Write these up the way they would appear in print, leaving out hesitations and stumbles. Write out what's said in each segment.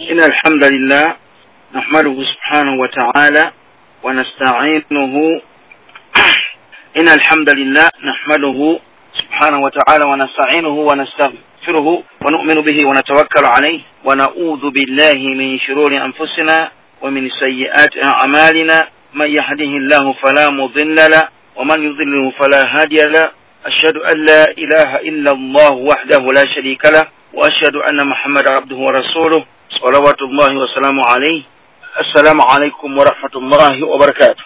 إن الحمد لله نحمده سبحانه وتعالى ونستعينه. إن الحمد لله نحمده سبحانه وتعالى ونستعينه ونستغفره ونؤمن به ونتوكل عليه ونعوذ بالله من شرور أنفسنا ومن سيئات أعمالنا، من يهده الله فلا مضل له ومن يضلله فلا هادي له. أشهد أن لا إله إلا الله وحده لا شريك له وأشهد أن محمد عبده ورسوله صلوات الله وسلامه عليه. السلام عليكم ورحمة الله وبركاته.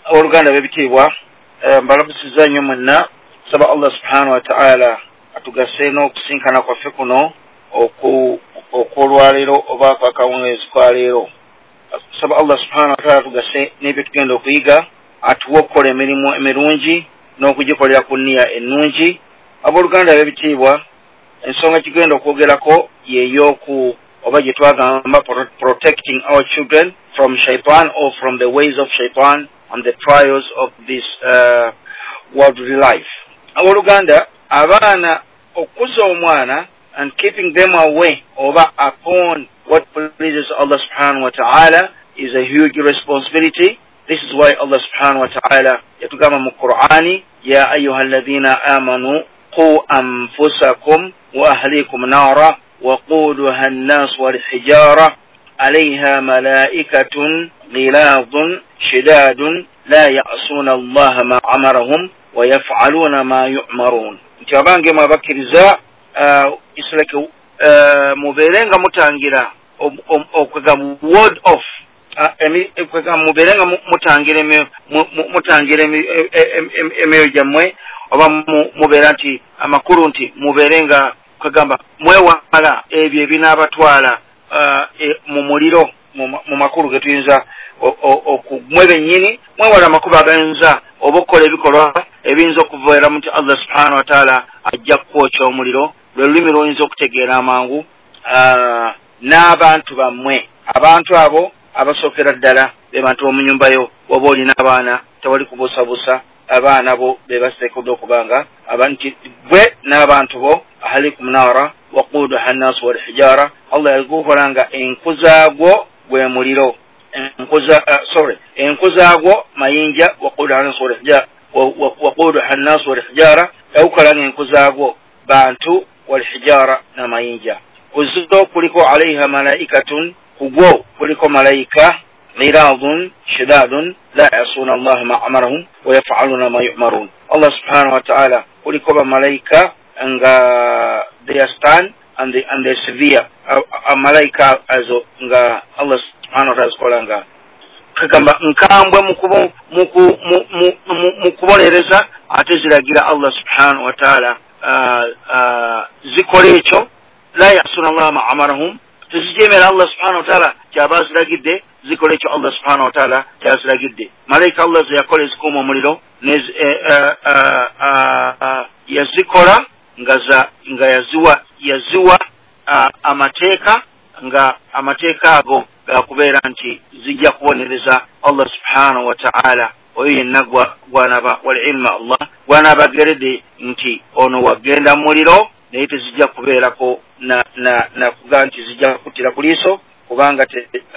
Abooluganda b'ebitiibwa, mbalamusiza nnyo mwenna. Saba Allah subhanahu wa ta'ala atugase n'okusinkana kwaffe kuno okw'olwaleero oba kwakawungeezi kwa leero. Saba Allah subhanahu wa ta'ala atugase n'ebyo tugenda okuyiga, atuwe okukola emirimu emirungi n'okugikolera ku nniya ennungi. Abooluganda b'ebitiibwa, ensonga kigenda okwogerako yeey'oku oba gye twagamba protecting our children from shaitan or from the ways of shaitan and the trials of this worldly life. Abooluganda, abaana okukuza omwana and keeping them away oba upon what pleases Allah subhanahu wa ta'ala is a huge responsibility. This is why Allah subhanahu wa ta'ala yatugamba mu Qur'ani, ya ayuha alladhina amanu qu anfusakum wa ahlikum nara waquduha an-nas wal hijara alayha malaikatun ghiladun shidadun la ya'suna Allah ma amarahum wa yaf'aluna ma yu'marun. Nti abange mwabakkiriza, islaki mubeerenga mutangira okwega word off, mubeerenga mutangira emyoyo gyammwe, oba mubeera nti amakulu nti mubeerenga kagamba mwewala ebyo ebinaabatwala mu muliro, mu makulu ge tuyinza okumwe bennyini mwewala amakubo agayinza oba okukola ebikolwa ebiyinza okubeera nti Allah subhanahu wa ta'ala ajja kukwokya omuliro, lwe lulimi lwoyinza okutegeera amangu n'abantu bammwe. Abantu abo abasookera ddala be bantu b'omu nnyumba yo. Oba olina abaana, tewali kubuusabuusa, abaana bo be baseekedde okubanga nti gwe n'abantu bo ahalikum nara waquduha nnasu walhijara. Allah yagukola nga enku zaagwo gwe muliro, enku zaagwo mayinja, waquduha nnasu walhijara, yagukola nga enku zaagwo bantu, walhijara n'amayinja. Kuzo kuliko alaiha malaikatun, kugwo kuliko malaika ghiladun shidadun la yasuna Allah ma amarahum wa yaf'aluna ma yu'marun. Allah subhanahu wa ta'ala kuliko bamalaika nga they are stern and they severe. Malaika azo nga Allah subhanahu wa ta'ala zikola nga kagamba nkambwe mu kubonereza, ate ziragira Allah subhanahu wa ta'ala zikola ekyo. La yasuna Allah ma amarahum, tezijemera Allah subhanahu wa ta'ala kyaba ziragidde, zikola ekyo Allah subhanahu wa ta'ala kyaziragidde. Malayika Allah ze yakola ezikuuma omuliro yazikola nga yaziwa amateeka, nga amateeka ago gakubeera nti zijja kubonereza Allah subhanahu wa ta'ala oyo yenna gwanaba walilma Allah gwanabageredde nti ono wagenda muliro, naye tezijja kubeerako na kugaa nti zijja kuttira ku liiso, kubanga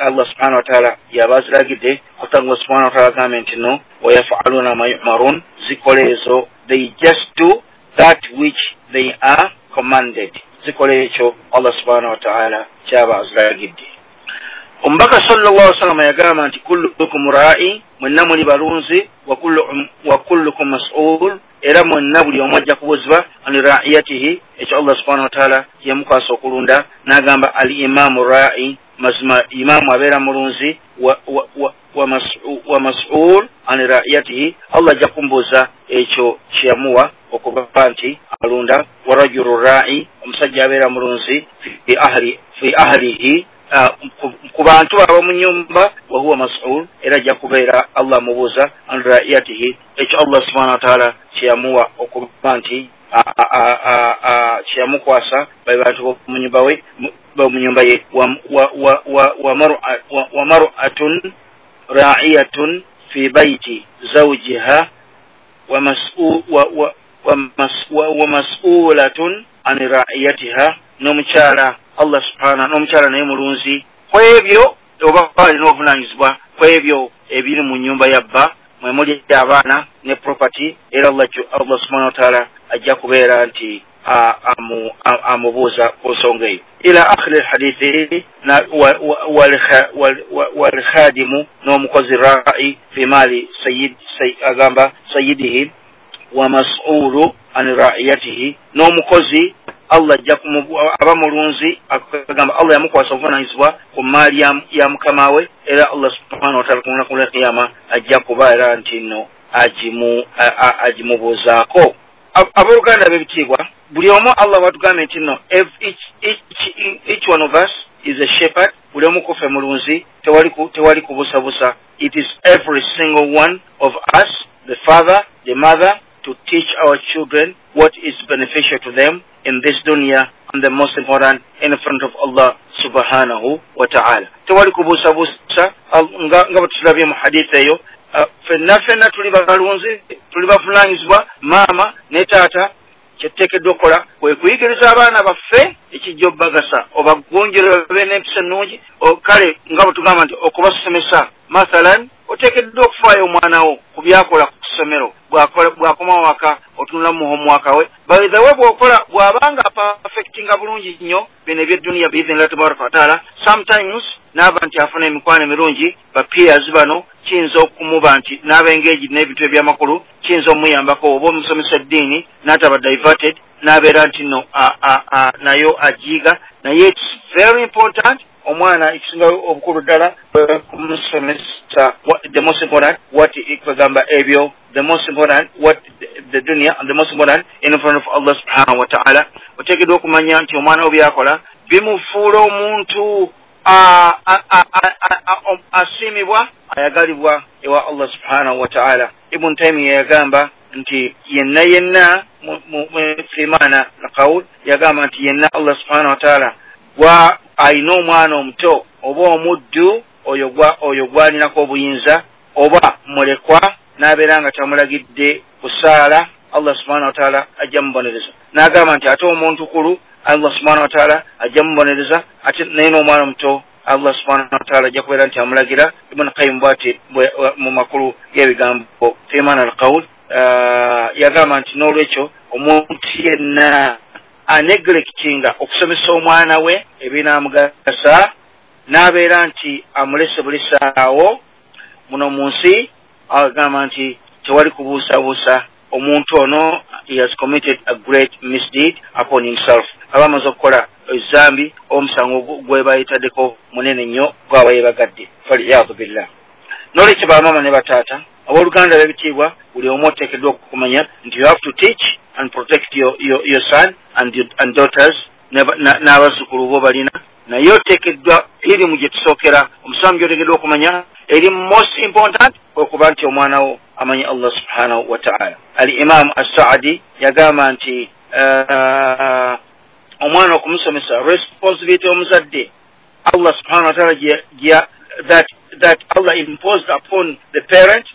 Allah subhanahu wa ta'ala yabaziragidde. Ate Allah subhanahu wa ta'ala agambe nti no wayafaluna ma yu'marun, zikola ezo, they just do that which they are commanded, zikola ekyo Allah subhanahu wa ta'ala kyaba aziragidde. Omubaka sallallahu alaihi wasallam yagamba nti kullukum ra'i, mwenna muli balunzi, wa kullukum mas'ul, era mwenna buli omu ajja kubuuzibwa an ra'iyatihi, ekyo Allah subhanahu wa ta'ala yamukwasa okulunda. N'agamba al imamu ra'i, mazima imamu abeera mulunzi, wa mas'ul an ra'iyatihi, Allah ajja kumbuuza ekyo kyeyamuwa okuba nti alunda. Wa rajulu ra'i, omusajja abeera mulunzi fi ahlihi, ku bantu ab'omu nnyumba, wa huwa mas'ul, era ajja kubeera Allah amubuuza an ra'iyatihi, ekyo Allah subhanahu wa ta'ala kyeyamuwa okuba nti kyeyamukwasa be bantu b'omu nnyumba ye. Wa mar'atun ra'iyatun fi bayti zawjiha wa mas'ulatun an ra'iyatiha, n'omukyala Allah subhanahu, n'omukyala naye mulunzi Ku ebyo oba alina obuvunanyizibwa ku ebyo ebiri mu nnyumba ya bba, mwe muli abaana ne property, era Allah subhanahu wa ta'ala ajja kubeera nti amubuuza ku nsonga eyo. Ila akhiri lhadithi, walkhadimu, n'omukozi rai fi maali agamba sayidihi, wa mas'ulu an raiyatihi, n'omukozi Allah ajja aba mulunzi, agamba Allah yamukwasa obuvunanyizibwa ku maali ya mukama we, era Allah subhanahu wa ta'ala ku lunaku lw'ekiyama ajja kubeera nti nno agimubuuzaako. Abooluganda b'ebitiibwa, buli omu Allah watugambye nti nno each one of us is a shepherd, buli omu kuffe mulunzi, tewali kubusabusa. It is every single one of us, the father, the mother, to teach our children what is beneficial to them in this dunya, and the most important, in front of Allah subhanahu wa ta'ala. Tewali kubusabusa nga bwe tulabye mu hadith eyo, ffenna ffenna tuli balunzi, tuli bavunaanyizibwa, maama ne taata. Kyetuteekeddwa okukola kwe kuyigiriza abaana baffe ekijja obbagasa, obagunjule babe n'empisa ennungi. Kale nga bwe tugamba nti okubasomesa, mathalan oteekeddwa okufaayo omwana wo ku byakola ku ssomero, bw'akoma waka otunula mu homework we. By the way, bw'okola bw'abanga perfectinga bulungi nnyo bino eby'edduniya biidhinillahi tabaraka wa taala, sometimes n'aba nti afuna emikwano emirungi, ba peers bano kiyinza okumuba nti n'aba engaged n'ebintu ebyamakulu, kiyinza omuyambako, oba omusomesa eddiini n'ataba diverted, n'abeera nti nno nayo agiyiga. Naye it's very important omwana ekisinga obukulu ddala kumusomesa the most important what kwegamba ebyo, the most important what the dunya, and the most important in front of Allah subhanahu wa ta'ala. Oteekeddwa okumanya nti omwana wo byakola bimufuula omuntu asiimibwa, ayagalibwa ewa Allah subhanahu wa ta'ala. Ibn Taymiyyah yagamba nti yenna yenna fi maana alqawl, yagamba nti yenna Allah subhanahu wa ta'ala gwa alina omwana omuto oba omuddu, oyo gwalinako obuyinza oba mulekwa, n'abeera nga tamulagidde kusaala, Allah subhanahu wa ta'ala ajja mubonereza. N'agamba nti ate omuntu kulu Allah subhanahu wa ta'ala ajja mubonereza, ate naye n'omwana omuto Allah subhanahu wa ta'ala ajja kubeera nti amulagira. Ibn Qayyim bw'ati mu makulu g'ebigambo fi maana alqawl, yagamba nti n'olwekyo omuntu yenna aneglectinga okusomesa omwana we ebinaamugasa, n'abeera nti amulese bulisaawo muno mu nsi, agamba nti tewali kubuusabuusa omuntu ono he has committed a great misdeed upon himself, aba amaze okukola ezambi, omusango gwe bayitaddeko munene nnyo gwaba yebagadde, faliyadu billah. N'olwekyo bamaama ne bataata, abooluganda b'ebitiibwa, buli omu oteekeddwa okukumanya nti you have to teach and protect your son and daughters n'abazzukulu bo balina. Naye oteekeddwa irimu gye tusookera, omusango gy'oteekeddwa okumanya eri most important okuba nti omwana wo amanyi Allah subhanahu wa ta'ala. Al Imam As-Saadi yagamba nti omwana okumusomesa responsibility omuzadde Allah subhanahu wa ta'ala that Allah imposed upon the parent,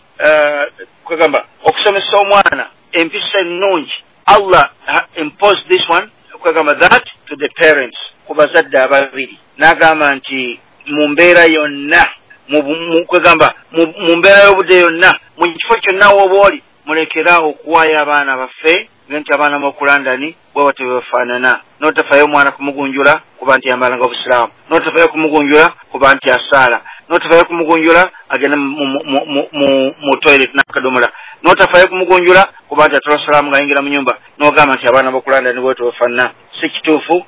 kwegamba okusomesa omwana empisa ennungi, Allah imposed this one, kwegamba that to the parents, ku bazadde ababiri. N'agamba nti mu mbeera yonna, kwegamba mu mbeera y'obudde yonna, mu kifo kyonna w'oba oli, mulekeraawo okuwaayo abaana baffe nti abaana b'oku London bwe batyo bwe bafaanana. N'otafaayo omwana kumugunjula kuba nti yambalanga obusiraamu, n'otafaayo kumugunjula kuba nti asaala, n'otafaayo kumugunjula agenda mu toilet n'akadomola, n'otafaayo kumugunjula kuba nti atola salaamu ng'ayingira mu nyumba, n'ogamba nti abaana b'oku London bwe batyo bafaanana. Si kituufu.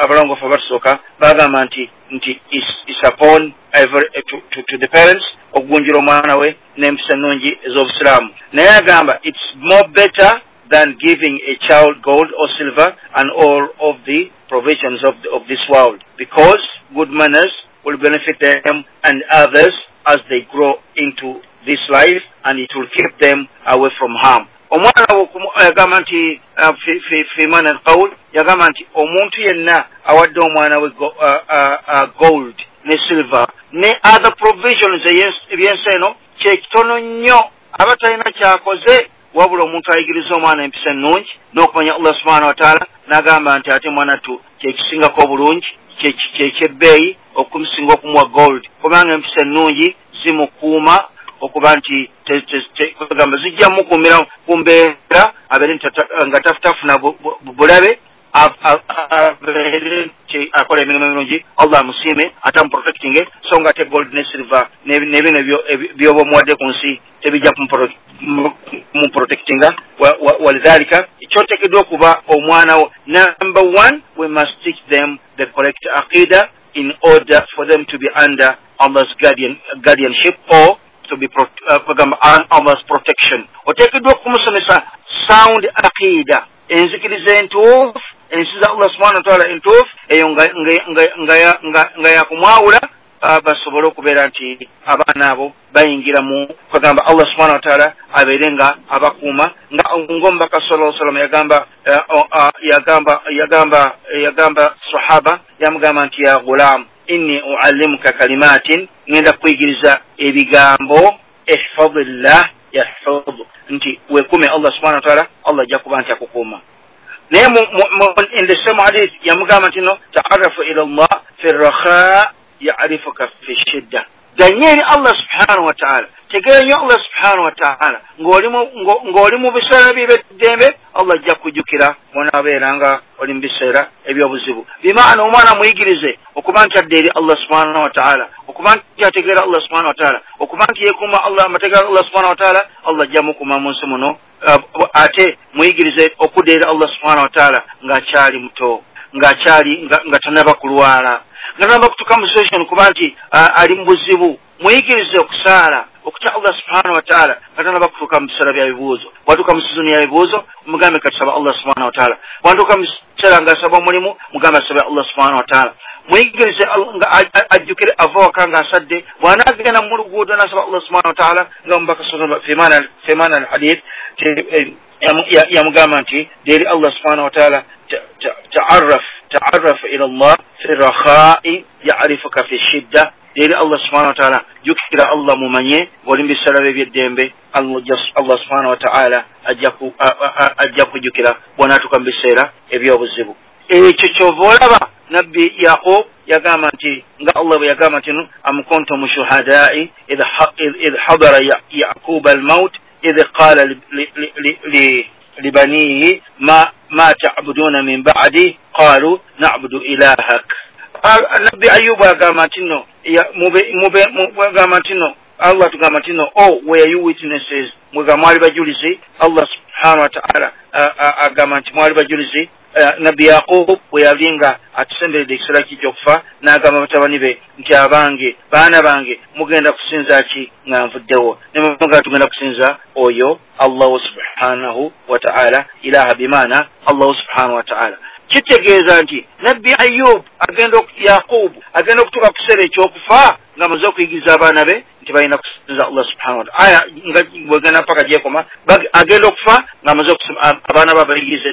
Abalongoofu abatusooka bagamba nti is upon every, to the parents okugunjula omwana we n'empisa ennungi ez'obusiraamu. Naye agamba it's more better than giving a child gold or silver and all of the provisions of this world, because good manners will benefit them and others as they grow into this life, and it will keep them away from harm. Omwana yagamba nti fi maana alqawl, yagamba nti omuntu yenna awadde omwana we gold ne silver ne other provisions ebyensi eno, kyekitono nnyo aba talina kyakoze, wabula omuntu ayigiriza omwana empisa ennungi n'okumanya Allah subhanahu wa ta'ala, n'agamba nti ate mwana tu kyekisingako obulungi Kyekyebbeeyi okumusinga okumuwa gold, kubanga empisa ennungi zimukuuma okuba nti gamba zijja mukuumira ku mbeera abeere nga tafuna bulabe, abeere nti akola emirimu emirungi, Allah amusiime ate amuprotectinge. So nga ate gold ne silver n'ebino byoba omuwadde ku nsi tebijja kumuprotectinga. Walidhalika kyoteekeddwa okuba omwana wo, number one, we must teach them the correct aqida in order for them to be under Allah's guardianship or to be Allah's protection. Oteekeddwa okumusomesa sound aqida, enzikiriza entuufu, ensi za Allah subhanahu wa ta'ala entuufu, eyo nga yakumwawula, basobole okubeera nti abaana abo bayingira mu kugamba Allah subhanahu wa ta'ala abeere nga abakuuma, nga ng'omubaka sallallahu alaihi wasallam yagamba sahaba, yamugamba nti ya gulam inni uallimuka kalimatin, ngenda kuyigiriza ebigambo, ihfadillah yahfadhu, nti weekume Allah subhanahu wa ta'ala, Allah ajja kuba nti akukuuma. Naye in the same hadith yamugamba nti no ta'arrafu ila Allah fi rakha ya'rifuka fi shidda. Ganye eri Allah subhanahu wa ta'ala, tegeera nnyo Allah subhanahu wa ta'ala ng'oli mu biseera by'eddembe, Allah ajja kujjukira bw'onaabeera nga oli mu biseera eby'obuzibu. Bimaana omwana muyigirize okuba nti adda eri Allah subhanahu wa ta'ala, okuba nti ategeera Allah subhanahu wa ta'ala, okuba nti yeekuuma Allah, amateeka ga Allah subhanahu wa ta'ala, Allah ajja mukuuma mu nsi muno. Ate muyigirize okudda eri Allah subhanahu wa ta'ala ng'akyali muto, ng'akyali nga tannaba kulwala, nga tannaba kutuuka mu situation kuba nti ali mu buzibu. Muyigirize okusaala, okutya Allah subhanahu wa ta'ala nga tannaba kutuuka mu biseera bya bibuuzo. Bw'atuuka mu sizoni ya bibuuzo, mugambe katusaba Allah subhanahu wa ta'ala. Bw'atuuka mu kiseera ng'asaba omulimu, mugambe asabe Allah subhanahu wa ta'ala. Muyigirize nga ajjukire ava waka ng'asadde, bw'anaagenda mu luguudo n'asaba Allah subhanahu wa ta'ala, nga omubaka fi maana al-hadith yamugamba nti eri Allah subhanahu wa ta'ala ta'arraf ila Allah fi rakhai ya'rifuka fi shidda. Eri Allah subhanahu wa ta'ala, jjukira Allah mumanye ng'oli mu biseera eby'eddembe, Allah subhanahu wa ta'ala ajja kujjukira bw'anaatuuka mu biseera eby'obuzibu. Ekyo kyova olaba Nabbi Yaqub yagamba nti nga Allah bwe yagamba nti am kuntum shuhada'i idh hadara Yaquba al-maut idh qala libanihi ma ta'buduna min ba'di qalu na'budu ilahak. Nabbi Ayubu agamba nti no, agamba nti no, Allah tugamba nti no, oh were you witnesses, mwega mwali bajulizi. Allah subhanahu wa ta'ala agamba nti mwali bajulizi. Nabbi Yaqub bwe yalinga atusemberedde ekiseera kijja okufa, n'agamba batabani be nti abange, baana bange, mugenda kusinza ki nga nvuddewo? Ne mugamba tugenda kusinza oyo Allahu subhanahu wa ta'ala, ilaha bimaana Allahu subhanahu wa ta'ala. Kitegeeza nti Nabbi Ayub agenda Yaqub agenda okutuuka ku kiseera ekyokufa ng'amaze okuyigiriza abaana be nti balina kusinza Allah subhanahu wa ta'ala. Aya nga bwegenda mpaka gyekoma, agenda okufa ng'amaze abaana be abayigiriza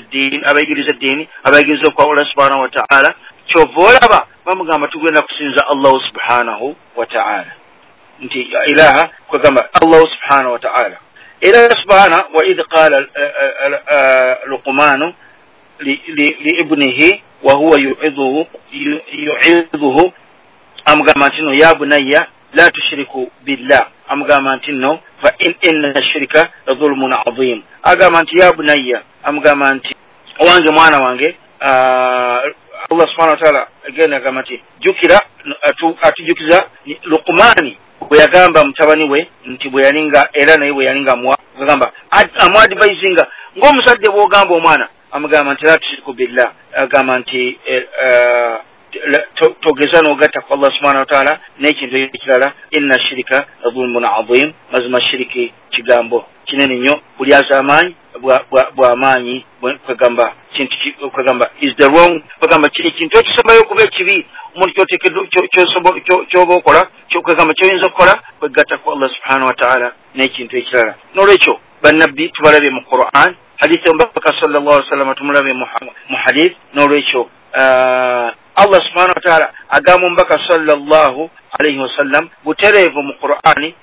eddiini, abayigiriza okwawula subhanahu wa ta'ala. Kyova olaba bamugamba tugenda kusinza Allahu subhanahu wa ta'ala, nti ilaha kwegamba Allahu subhanahu wa ta'ala. Era subhana wa idh qala Luqmanu liibnihi wa huwa yu'idhuhu, amugamba nti no ya bunayya la tushriku billah, amugamba nti no fa inna shirka la dhulmun adhim. Agamba nti ya bunayya, amugamba nti owange mwana wange. Allah subhanahu wa ta'ala again agamba nti jjukira, atujukiza Luqmani bwe yagamba mutabani we nti bwe yalinga, era naye bwe yalinga agamba amuadvisinga ng'omusajja bw'ogamba omwana, amugamba nti la tushriku billah, agamba nti togeza n'ogatta ku Allah subhanahu wa ta'ala n'ekintu ekirala, inna shirika dhulmun adhim, mazima shiriki kigambo kinene nnyo, bulyaza amaanyi bw'amaanyi, kwegamba kintu kwegamba is the wrong, kwegamba kiri kintu ekisembayo okuba ekibi omuntu kyoba okola, kwegamba kyoyinza okukola kwegatta ku Allah subhanahu wa ta'ala n'ekintu ekirala. N'olwekyo bannabbi tubalabye mu Quran, hadith omubaka sallallahu alaihi wasallam tumulabye mu hadith. N'olwekyo Allah subhanahu wa ta'ala agamba omubaka sallallahu alaihi wasallam butereevu mu Qur'ani,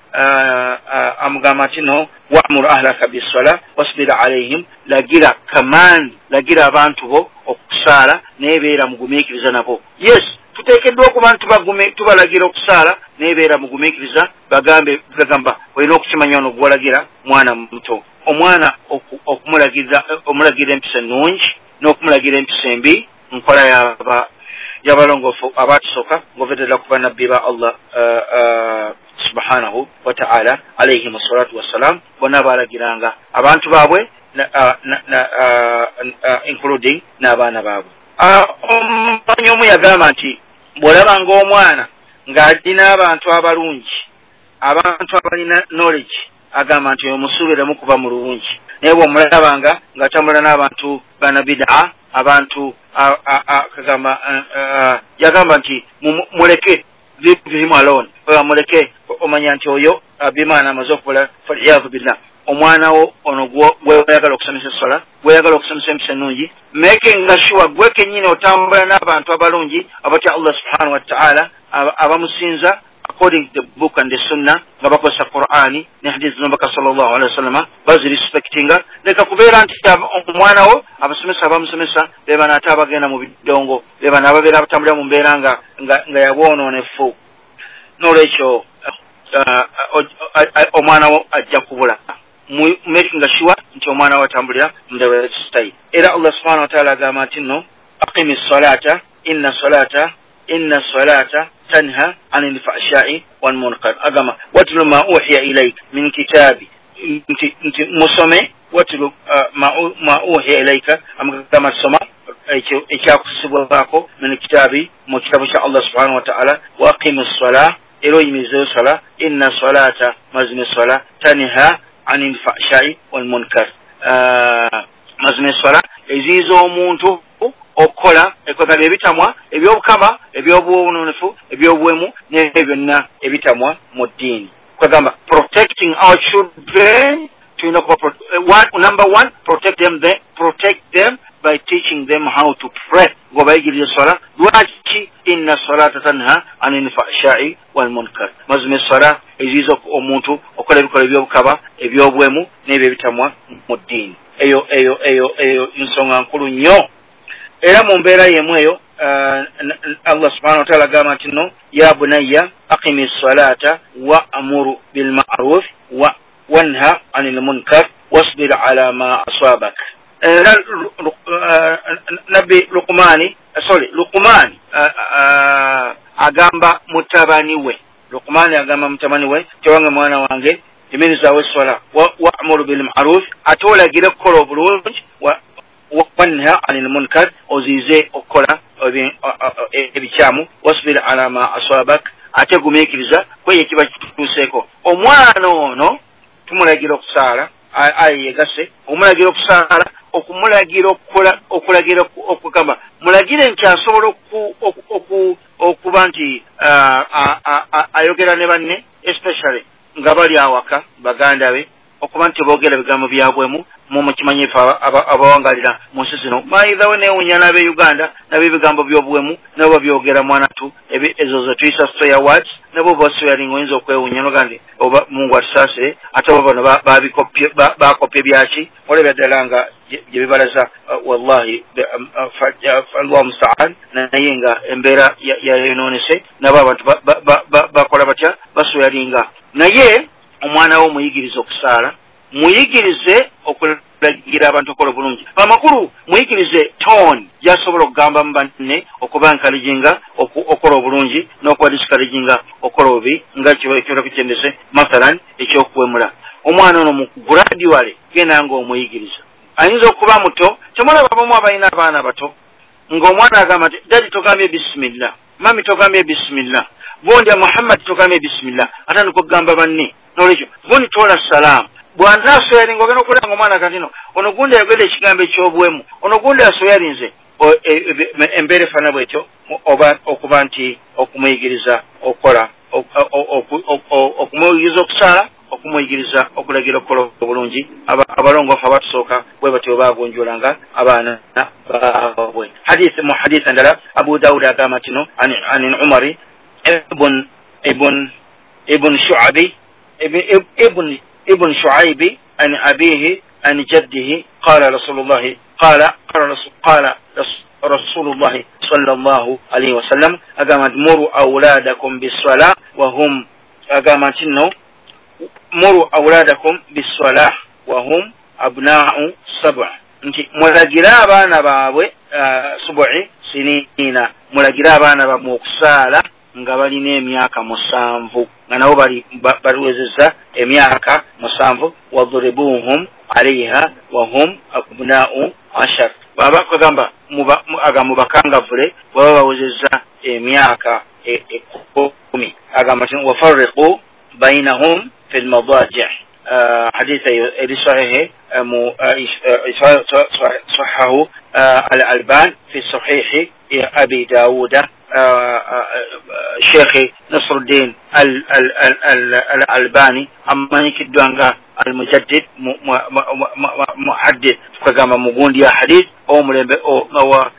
amugamba nti no wa'mur ahlaka bis-sala wasbir alaihim, lagira command, lagira abantu bo okusaala naye beera mugumiikiriza nabo. Yes, Tuteekeddwa okuba nti tubalagira okusaala, naye beera mugumiikiriza, bagambe gagamba olina okukimanya ono gwolagira mwana muto. Omwana okumulagira empisa ennungi n'okumulagira empisa embi nkola y'abalongoofu abatusooka ng'ovedde ku bannabbi ba Allah subhanahu wa ta'ala alayhim salatu wassalam. Bonna baalagiranga abantu baabwe, including n'abaana baabwe. Omumanyi omu yagamba nti bw'olabanga omwana ng'alina abantu abalungi, abantu abalina knowledge, agamba nti omusuubiremu kuba mulungi. Naye bw'omulabanga ng'atambula n'abantu banabidaa, abantu kagamba yagamba nti muleke, leave him alone, muleke, omanya nti oyo bimaana amaze okubula. Faliyadhu billah. Omwana wo ono gweyagala okusomesa essola, gweyagala okusomesa empisa ennungi, making sure gwe kennyini otambula n'abantu abalungi abatya Allah subhanahu wa ta'ala, abamusinza according to the book and the sunnah, nga bakozesa Qur'ani ne hadith z'omubaka sallallahu alaihi wasallam, bazirespectinga. Leka kubeera nti omwana wo abasomesa abamusomesa be bano ate abagenda mu bidongo, be bano ababeera abatambulira mu mbeera nga yabwonoonefu. N'olwekyo omwana wo ajja kubula. Making sure nti omwana wo atambulira mu the right style. Era Allah subhanahu wa ta'ala agamba nti nno aqimi salata inna salata tanha anil fahsha'i wal munkar. Agamba watlu ma uhiya ilayka min kitabi, nti musome watlu ma uhiya ilayka, amagamba soma ekyakusibwako min kitabi, mu kitabu kya Allah subhanahu wa ta'ala. Wa aqimi salah, era oyimirizeyo sala, inna salata, mazima sala, tanha anil fahsha'i wal munkar. Mazima sala eziyiza omuntu okukola ekwekala ebitamwa ebyobukaba, ebyobwononefu, ebyobuwemu n'ebyo byonna ebitamwa mu ddiini. Kwegamba protecting our children, tulina okuba number one, protect them by teaching them how to pray. Ng'obayigiriza esswala. Lwaki? Inna salata tanha anil fahsha'i wal munkar. Mazima esswala eziyiza omuntu okukola ebikolwa ebyobukaba, ebyobwemu n'ebyo ebitamwa mu ddiini. Eyo eyo eyo eyo nsonga nkulu nnyo. Era mu mbeera yemu eyo Allah subhanahu wa ta'ala agamba nti nno ya bunayya aqimi salata wa'muru bil ma'ruf wa wanha 'anil munkar wasbir 'ala ma asabak. Era Nabbi Luqmani agamba mutabani we, Luqmani agamba mutabani we, tewange mwana wange yimirizaawo esswala, wa'muru bil ma'ruf, ate olagire okukola obulungi, wanha anil munkar, oziize okukola ebikyamu, wasbir ala ma asabak, ate gumiikiriza kweyo ekiba kituuseeko. Omwana ono tumulagira okusaala, ayi yegase, omulagira okusaala, okumulagira okukola, okulagira okugamba mulagire nti asobola okuba nti ayogera ne banne, especially nga bali awaka baganda be, okuba nti boogera ebigambo byabwemu. Mukimanyi ife abawangalira mu nsi zino, maithawe neewunya n'ab'e Uganda nabo ebigambo by'obuwemu nabo babyogera mwanatu, ezo ze tuyisa swear words, nabo baswearing oyinza okwewunya noga nti oba Mungu atusaasire, ate oba bano bakopye byaki, olabya ddala nga gye bibalaza. Wallahi Allahu musta'an. Naye nga embeera yayonoonese, nabo abantu bakola batya, baswearinga. Naye omwana wo muyigirize okusaala, muyigirize okulagira abantu okukola obulungi. Amakulu muyigirize tone gy'asobola okugamba mu banne, okuba encouraginga okukola obulungi n'okuba discouraginga okukola obubi, nga kyola kukyendese mathalan ekyokuwemula. Omwana ono mu gradually genda ng'omuyigiriza. Ayinza okuba muto, temulaba abamu abalina abaana bato ng'omwana agamba nti dadi togambye bisimillah, mami togambye bisimillah, gundi Muhammad togambye bisimillah, atandika okugamba banne. N'olwekyo gundi tola salaamu, bw'anaasoyalinga ogenda okulaba ng'omwana kati no ono gundi ayogedde ekigambo eky'obuwemu, ono gundi asoyalinze. Embeera efaanana bwetyo, oba okuba nti okumuyigiriza okukola, okumuyigiriza okusaala, okumuyigiriza okulagira okukola obulungi. Abalongoofu abatusooka bwe batyo baagunjulanga abaana baabwe. Hadith mu hadith endala Abu Dawud agamba nti no an Umari ibn Shu'abi ibn Shu'aibi an abihi an jaddihi qala Rasulullah qala qala Rasulullahi sallallahu alaihi wasallam agamba nti muru auladakum biswala wahum, agamba nti no muru auladakum biswala wahum abna'u sab'a, nti mulagire abaana baabwe subu'i sinina, mulagire abaana bammwe okusaala nga balina emyaka 7, nga nabo baliwezezza emyaka 7. Wadribuhum alaiha wahum abna'u 10, baba kugamba mubakangavule baba bawezezza emyaka 10. Agamba nti wafarriqu bainahum fi lmadaji'. حديث صحيح صححه الألبان في صحيح أبي داود، شيخ نصر الدين الألباني أما يكدوانغا المجدد محدث كما مغوندي حديث أو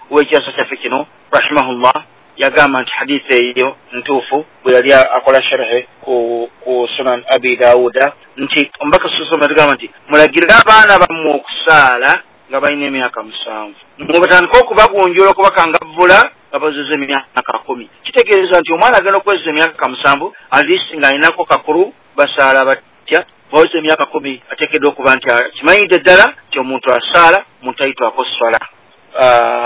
ويجاسة فكنو رحمه الله yagamba nti hadithi eyo ntuufu bwe yali akola sharhe ku Sunan Abi Dawuda, nti omubaka sallallahu alayhi wasallam nti mulagirire abaana bammwe okusaala nga balina emyaka 7, mubatandike okubagunjula okubakangavvula nga bazeze emyaka 10. Kitegeeza nti omwana agenda okuweza emyaka 7 at least ng'alinako kakulu basaala batya, baweza emyaka 10 ateekeddwa okuba nti kimanyidde ddala nti omuntu asaala omuntu ayitwako swala.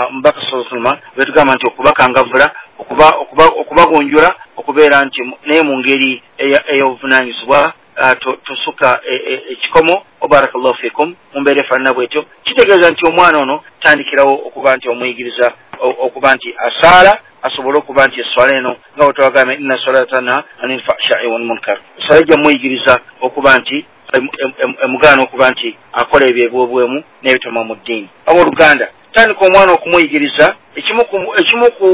Omubaka sallallahu alayhi wasallam bwetugamba nti okubakangavvula okubagunjula okubeera nti naye mu ngeri ey'obuvunaanyizibwa tosuka ekikomo. Barakallahu fikum, mu mbeera efaanana bwetyo kitegeeza nti omwana ono tandikirawo okuba nti omuyigiriza okuba nti asaala asobole okuba nti eswala eno nga bwetwagamba inna salata tanha anil fahshai wal munkar, eswala ejja muyigiriza okuba nti emugaana okuba nti akola ebyo ebyobwemu n'ebitoma mu ddiini. Abooluganda, tandika omwana okumuyigiriza ekimu ku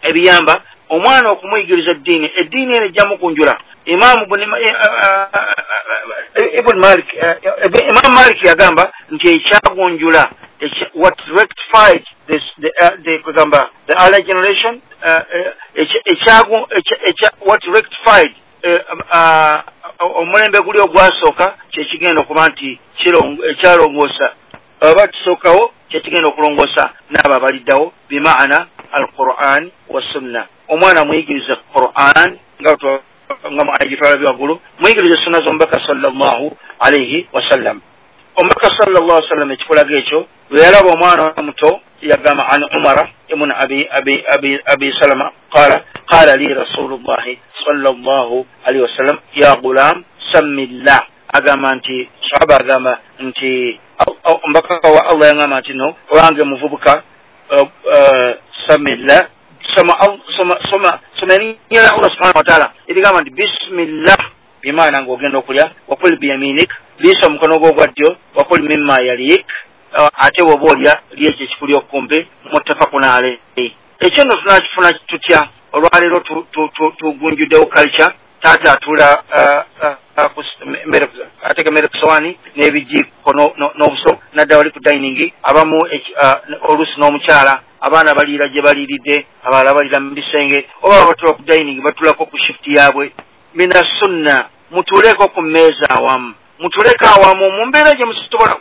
ebiyamba omwana okumuyigiriza eddiini, eddiini eno ejja mukunjula. Imam Ibn Malik, Imam Malik yagamba nti ekyagunjula, what rectified this the kugamba the early generation, what rectified omulembe guli ogwasooka kyekigenda okuba nti ekyalongoosa oba tusookawo kyekigenda okulongoosa n'abo abaliddawo, bimaana al-Quran wa sunna. Omwana muyigirize Quran nga agitwala waggulu, muyigirize sunna z'omubaka sallallahu alayhi wasallam. Omubaka sallallahu alayhi wasallam ekikulaga ekyo bwe yalaba omwana omuto yagamba an Umara ibn Abi Salama qala qala li Rasulullahi sallallahu alayhi wasallam ya gulam sammillah, agamba nti sahaba agamba nti omubaka wa Allah yagamba nti no owange muvubuka samillah, soma erinnya lya Allah subhanahu wa ta'ala erigamba nti bismillah, bimaana ng'ogenda okulya, wakul biyaminik, liisa omukono gwo ogwa ddyo, wakul mimma yalik, ate bw'oba olya lya ekyo ekikuli okumpi, muttafaqun alayhi. Ekyo nno tunakifuna tutya? Olwaleero tugunjuddewo culture, taata atuula ateeka emmere ku sowaani n'ebijiiko n'obuso nadda wali ku dining, abamu oluusi n'omukyala, abaana baliira gye baliiridde, abalala baliira mu bisenge, oba batula ku dining batulako ku shift yaabwe. Mina sunna, mutuuleko ku mmeeza awamu, mutuleko awamu mu mbeera gye musobola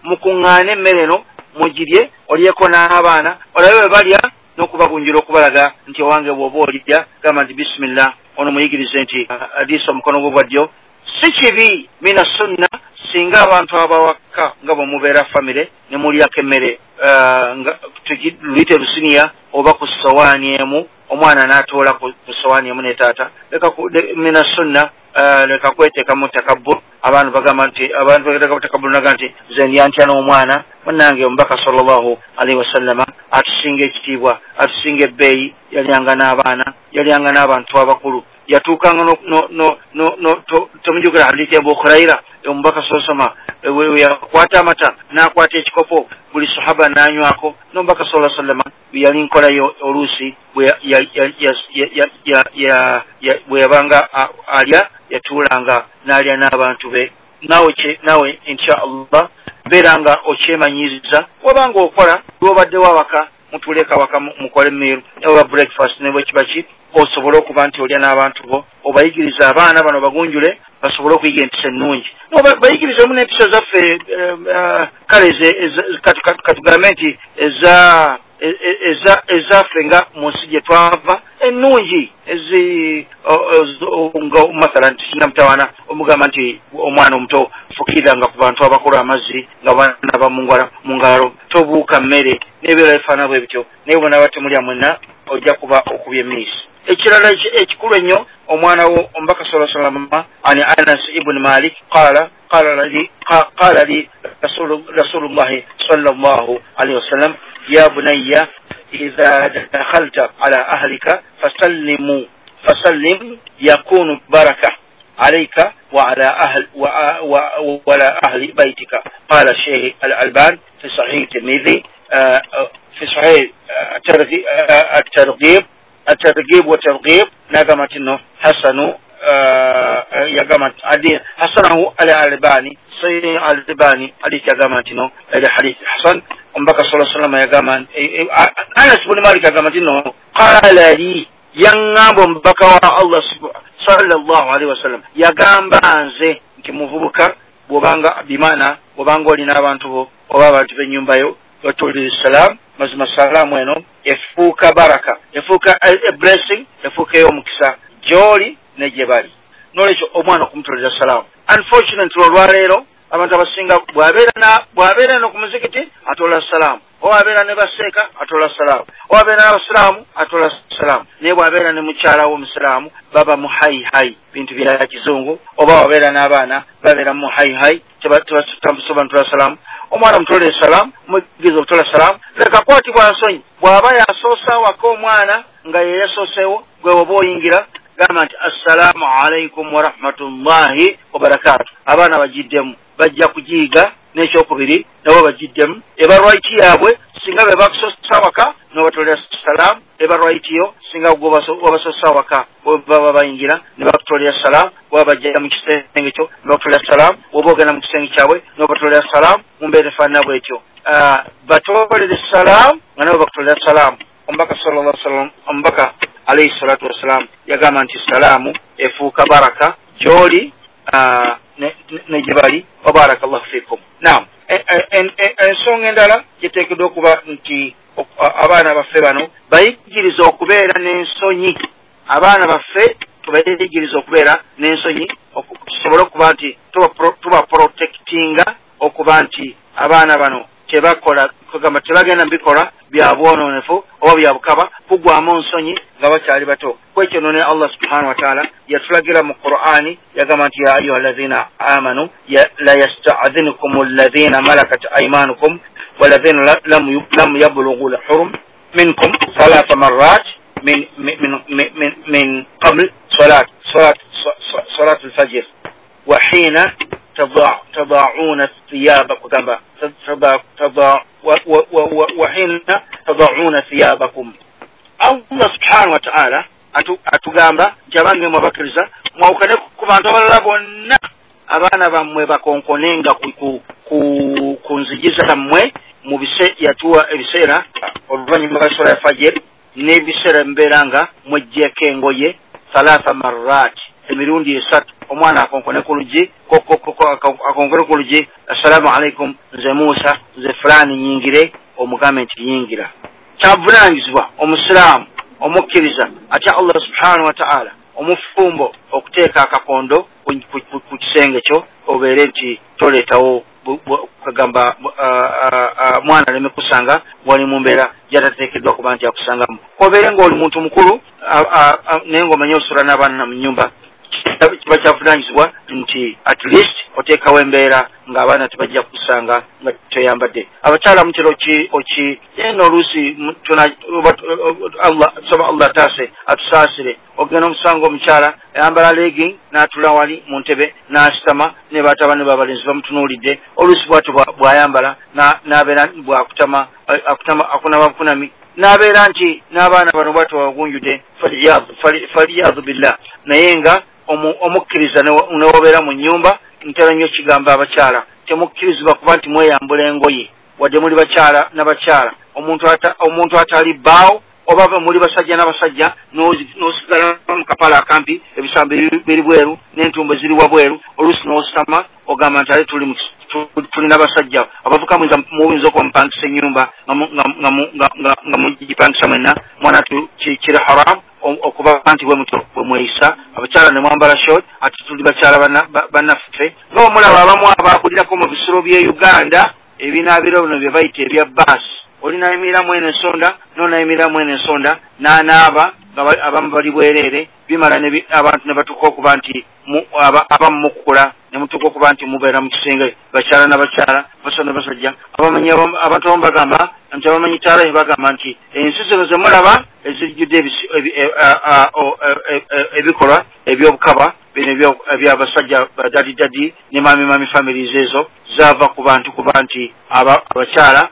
mukuŋŋaane emmere eno mugirye, olyeko n'abaana, olabe bwe balya n'okubagunjula okubalaga nti owange bw'oba olya gamba nti bismillah, ono muyigirize nti liisa omukono gwo gwa ddyo. Si kibi mina sunna singa abantu abawaka nga bwe mubeera famire ne mulyako emmere luyite lusiniya oba ku sowaani emu, omwana n'atoola ku sowaani emu ne taata. Leka mina sunna, leka kweteekamu takabbur. Abantu bagamba nti abantu bateekamu takabbur naga nti nze ndya ntya n'omwana. Munnange omubaka sallallahu alaihi wasallama atusinga ekitiibwa, atusinga ebbeeyi, yalyanga n'abaana, yalyanga n'abantu abakulu, yatuukanga tomujjukira hadithi ya Abu Huraira, omubaka sallallahu alaihi yakwata amata n'akwata ekikopo buli sahaba n'anywako. N'omubaka sallallahu alaihi wasallam yali nkolayo oluusi bwe yabanga alya yatuulanga n'alya n'abantu be. Naawe insha Allah beera nga okyemanyiriza, wabanga okola lw'obaddewo awaka, mutuuleko awaka mukole meal oba breakfast ne bwe kiba ki, osobole okuba nti olya n'abantu bo, obayigiriza abaana bano bagunjule basobole okuyiga empisa ennungi. Bayigirizemu n'empisa zaffe, kale katugambe nti ezaffe nga mu nsi gye twava ennungi, nga mathalan tisina mutawaana omugamba nti omwana omuto fukiriranga ku bantu abakola amazzi nga banaba mu ngalo, tobuuka mmere n'ebirala bifaanana bwe bityo, naye bw'onaaba temulya mwenna ojja kuba okubye emiisi. Ekirala ekikulu ennyo, omwana wo omubaka sallallahu alaihi wasallam ani Anas ibn Malik qala qala li Rasulullah sallallahu alaihi wasallam ya bunayya idha dakhalta ala ahlika fasallim yakunu baraka alayka wa ala ahli wa ala ahli baytika. Qala Sheikh Al-Albani fi Sahih Tirmidhi fi Sahih at-Targhib wa Targhib nagamatino hasanu yagamat adi hasanahu al-Albani Sahih al-Albani hadith yagamatino ila hadith hasan. Omubaka sallallahu alaihi wasallam yagamba Anas ibn Malik yagamatino qala li, yangamba omubaka wa Allah sallallahu alaihi wasallam yagamba nze nti muvubuka bwobanga bimana bwobanga olina abantu bo oba abantu b'ennyumba yo batulira salam, mazima salaamu eno efuuka baraka, efuuka a blessing, efuuka ey'omukisa gy'oli ne gye bali. N'olwekyo omwana okumutolera salaamu. Unfortunately olwaleero abantu abasinga bw'abeera eno ku muzikiti atola salaamu, oba abeera ne baseeka atola salaamu, oba abeera n'abasiraamu atola salaamu, naye bw'abeera ne mukyala w'omusiraamu baba mu hayi bintu bya kizungu, oba wabeera n'abaana babeera mu hayi tebasobola mutola salaamu. Omwana mutolere salaamu, muyigirize okutola salaamu, leka kwatibwa nsonyi. Bw'aba yasoose awaka omwana nga ye yasooseewo, gwe oba oyingira gamba nti assalaamu alaikum warahmatullahi wabarakaatu. Abaana bagiddemu, bajja kugiyiga. N'ekyokubiri nabo bagiddemu, eba right yaabwe singa be bakusoose awaka n'obatolera salaamu, eba right yo singa wabasoose awaka baba bayingira ne bakutolera salaamu, oba bajja mu kisenge kyo ne bakutolera salaamu, oba ogenda mu kisenge kyabwe n'obatolera salaamu, mu mbeera efaanana bwetyo. Batolere salaamu nga nabo bakutolera salaamu. Omubaka sallallahu alaihi wasallam, omubaka alayhi salatu wassalam yagamba nti salaamu efuuka baraka gy'oli ne gye bali. Wa barakallahu fikum. Naam, ensonga endala gyeteekeddwa okuba nti abaana baffe bano bayigiriza okubeera n'ensonyi. Abaana baffe tubayigiriza okubeera n'ensonyi tusobole okuba nti tuba protectinga, okuba nti abaana bano tebakola kugamba tebagenda mbikola bya bwonoonefu oba bya bukaba, kugwamu nsonyi nga bakyali bato. Kwekyo nno ne Allah subhanahu wa ta'ala yatulagira mu Qur'ani, yagamba nti ya ayuha alladhina amanu la yasta'dhinukum alladhina malakat aymanukum walladhina lam yablughu al-hurum minkum thalatha marrat min min min min qabl salat al-fajr wa hina تضعون ثيابكم وحين تضعون ثيابكم. Allah subhanahu wa ta'ala atugamba nti abange mwabakkiriza mwawukane ku bantu abalala bonna, abaana bammwe bakonkonenga ku nzigi zammwe mu bise yatuwa ebiseera oluvannyuma lwa swala ya fajr n'ebiseera mbeera nga mweggyeko engoye thalatha marrat, emirundi esatu. Omwana akonkone ku luggi, akonkone ku luggi, assalaamu alaikum, nze Musa, nze fulani, nyingire. Omugambe nti yingira. Kyavunaanyizibwa omusiraamu omukkiriza atya Allah subhanahu wa ta'ala omufumbo okuteeka akakondo ku kisenge kyo, obeere nti toleetawo kagamba mwana aleme kusanga wali mu mbeera gy'atateekeddwa kuba nti akusangamu. Obeere ng'oli muntu mukulu naye ng'omanye osula n'abaana mu nnyumba, kiba kyavunaanyizibwa nti at least oteekawo embeera ng'abaana tebajja kusanga nga toyambadde. Abakyala mutera oki eno oluusi saba Allah taase atusaasire, ogenda omusanga omukyala ayambala legging n'atula wali mu ntebe n'asitama ne batabani b'abalenzi bamutunuulidde. Oluusi bw'atyo bw'ayambala n'abeera bw'akutama akunama bukunami n'abeera nti n'abaana bano bw'atyo bagunjudde, faliyadu billah. Naye nga omukkiriza newobeera mu nnyumba, ntera nnyo kigamba abakyala temukkirizibwa kuba nti mweyambula engoye wadde muli bakyala n'abakyala. Omuntu atali bbaawo Oba muli basajja n'abasajja, n'osigala mu kapala akampi, ebisambi biri bweru n'entumbo ziri wabweru, oluusi n'ositama ogamba nti ale tuli n'abasajja. Abavuka muyinza okuba mupangisa ennyumba nga mugipangisa mwenna, mwana kiri haram okuba nti bwe mutyo bwe mweyisa. Abakyala ne mwambala short, ate tuli bakyala bannaffe. Nga omulaba abamu abakulirako mu bisulo by'e Uganda, ebinaabiro bino bye bayita ebya baasi, oli nayimiriramu eno ensonda n'onayimiriramu eno ensonda n'anaaba, nga abamu bali bwereere. Bimala abantu ne batuuka okuba nti abamu mukula ne mutuuka okuba nti mubeera mu kisenge, bakyala n'abakyala, basajja n'abasajja. Abamanyi abantu abamu bagamba nti abamanyi tarehe bagamba nti ensi zino ze mulaba ezijjudde ebikolwa ebyobukaba bino ebyabasajja daddy daddy ne mummy mummy families, ezo zaava ku bantu kuba nti abakyala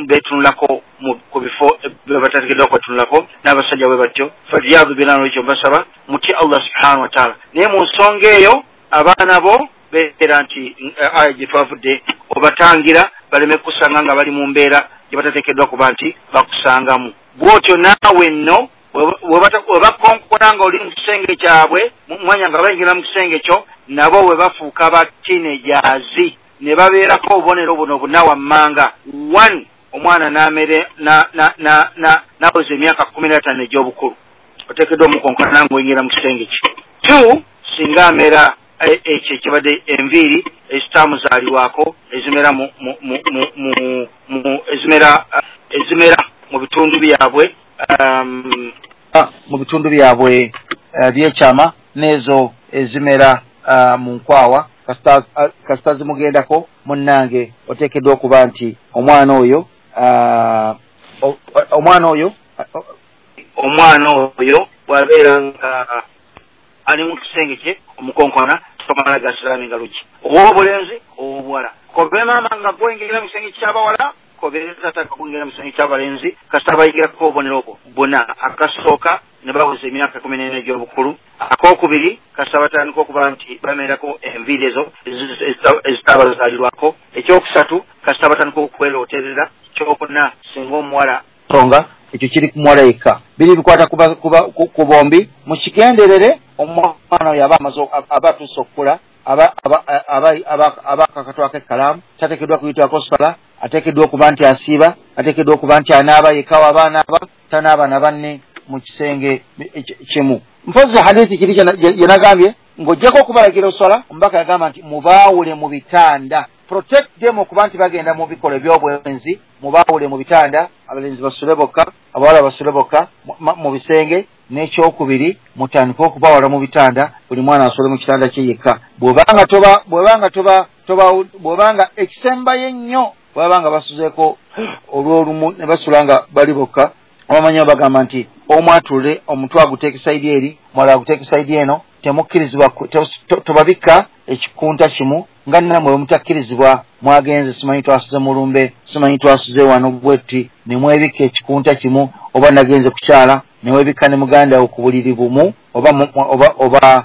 beetunulako ku bifo bye batateekeddwa kwetunulako, n'abasajja bwe batyo. Faliyadu billah. Ekyo mbasaba mutye Allah subhanahu wataala. Naye mu nsonga eyo abaana bo beera nti aya gye twavudde obatangira baleme kusanga nga bali mu mbeera gye batateekeddwa kuba nti bakusangamu. Bw'otyo naawe nno we bakonkona nga oli mu kisenge kyabwe, mwanya nga bayingira mu kisenge kyo, nabo we bafuuka ba teenagers ne babeerako obubonero buno buna wammanga. One, omwana n'amere naweza emyaka 15 egy'obukulu, oteekeddwa omukonkona ng'oyingira mu kisenge kye. Two, singa amera ekyo ekibadde enviiri ezitamuzaalibwako ezimera mu ezimera mu bitundu byabwe byekyama n'ezo ezimera mu nkwawa, kasita zimugendako, munnange, oteekeddwa okuba nti omwana oyo bw'abeera nga ali mu kisenge kye, omukonkona, tomala gasiramu engalo ki, ow'obulenzi, ow'obuwala. Kobe maama nga gweyingira mu kisenge ky'abawala, kobe tata kuyingira mu kisenge ky'abalenzi, kasita bayingirako obubonero obwo buna. Akasooka, ne baweza emyaka 14 egy'obukulu. Akookubiri, kasita batandika okuba nti bamerako enviiri ezo ezitabazaalirwako. Ekyokusatu, kasita batandika okwerooterera. Kyokuna, singa omuwala songa ekyo kiri ku muwala yekka, biri bikwata ku bombi. Mukigenderere, omwana oyo aba amaze aba atuuse okukula, aba akakatwako ekkalaamu, tateekeddwa kuyitwako sala, ateekeddwa okuba nti asiiba, ateekeddwa okuba nti anaaba yekka, waba anaaba tanaaba na banne mu kisenge kimu. Mpozi hadithi kiri gyenagambye ng'ojjako okubalagira oswala, omubaka yagamba nti mubaawule mu bitanda. Protect them okuba nti bagenda mu bikolwa ebyobwenzi. Mubaawule mu bitanda, abalenzi basule bokka, abawala basule bokka mu bisenge. N'ekyokubiri, mutandike okubawala mu bitanda, buli mwana asule mu kitanda kye yekka. Bw'obanga toba bw'obanga toba toba bw'obanga ekisembayo ennyo, bw'aba nga basuzeeko olw'olumu ne basula nga bali bokka, abamanyi bagamba nti omu atule omutwe aguteeka side eri, mulala aguteeka side eno. Temukkirizibwa tobabikka ekikunta kimu nga nammwe bwe mutakkirizibwa. Mwagenze, simanyi twasuze mulumbe, simanyi twasuze wano bwetti, ne mwebikka ekikunta kimu, oba nagenze kukyala ne weebikka ne muganda wo ku buliri bumu, oba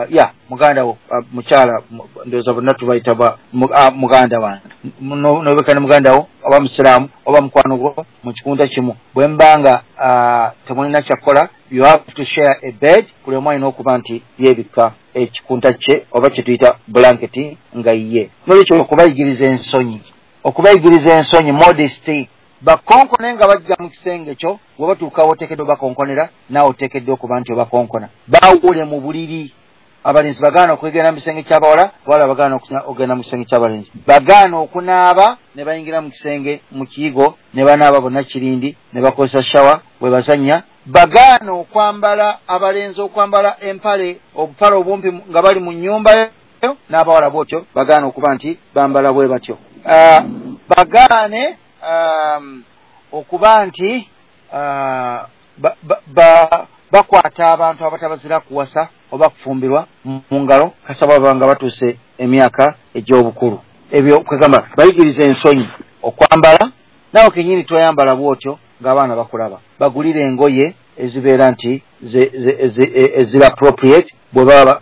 ya muganda wo, mukyala, ndowooza bonna tubayita muganda wange, nobikka ne muganda wo oba musiraamu oba mukwano gwo mu kikunta kimu. Bwe mbanga temulina kyakkola, you have to share a bed. Buli omu alina okuba nti yeebikka ekikunta kye oba kye tuyita blanketi nga ye. Nolwekyo okubayigiriza ensonyi, modesty. Bakonkone nga bajja mu kisenge kyo, bwe batuukawo oteekeddwa bakonkonera, naawe oteekeddwa okuba nti obakonkona. Baawule mu buliri, abalenzi bagaana okwegenda mu kisenge ky'abawala, abawala bagaana okugenda mu kisenge ky'abalenzi. Bagaana okunaaba ne bayingira mu kisenge mu kiyigo ne banaaba bonna kirindi ne bakozesa shower bwe bazannya. Bagaana okwambala, abalenzi okwambala empale, obupale obumpi nga bali mu nnyumba yo, n'abawala bwotyo bagaana okuba nti bambala bwe batyo. Bagaane okuba nti bakwata abantu abatabazira kuwasa oba kufumbirwa mu ngalo, kasaba baba nga batuuse emyaka egy'obukulu. Ebyo kwegamba bayigiriza ensonyi, okwambala, naawe kenyini toyambala bwotyo ng'abaana bakulaba. Bagulire engoye ezibeera nti eziri appropriate bwe baba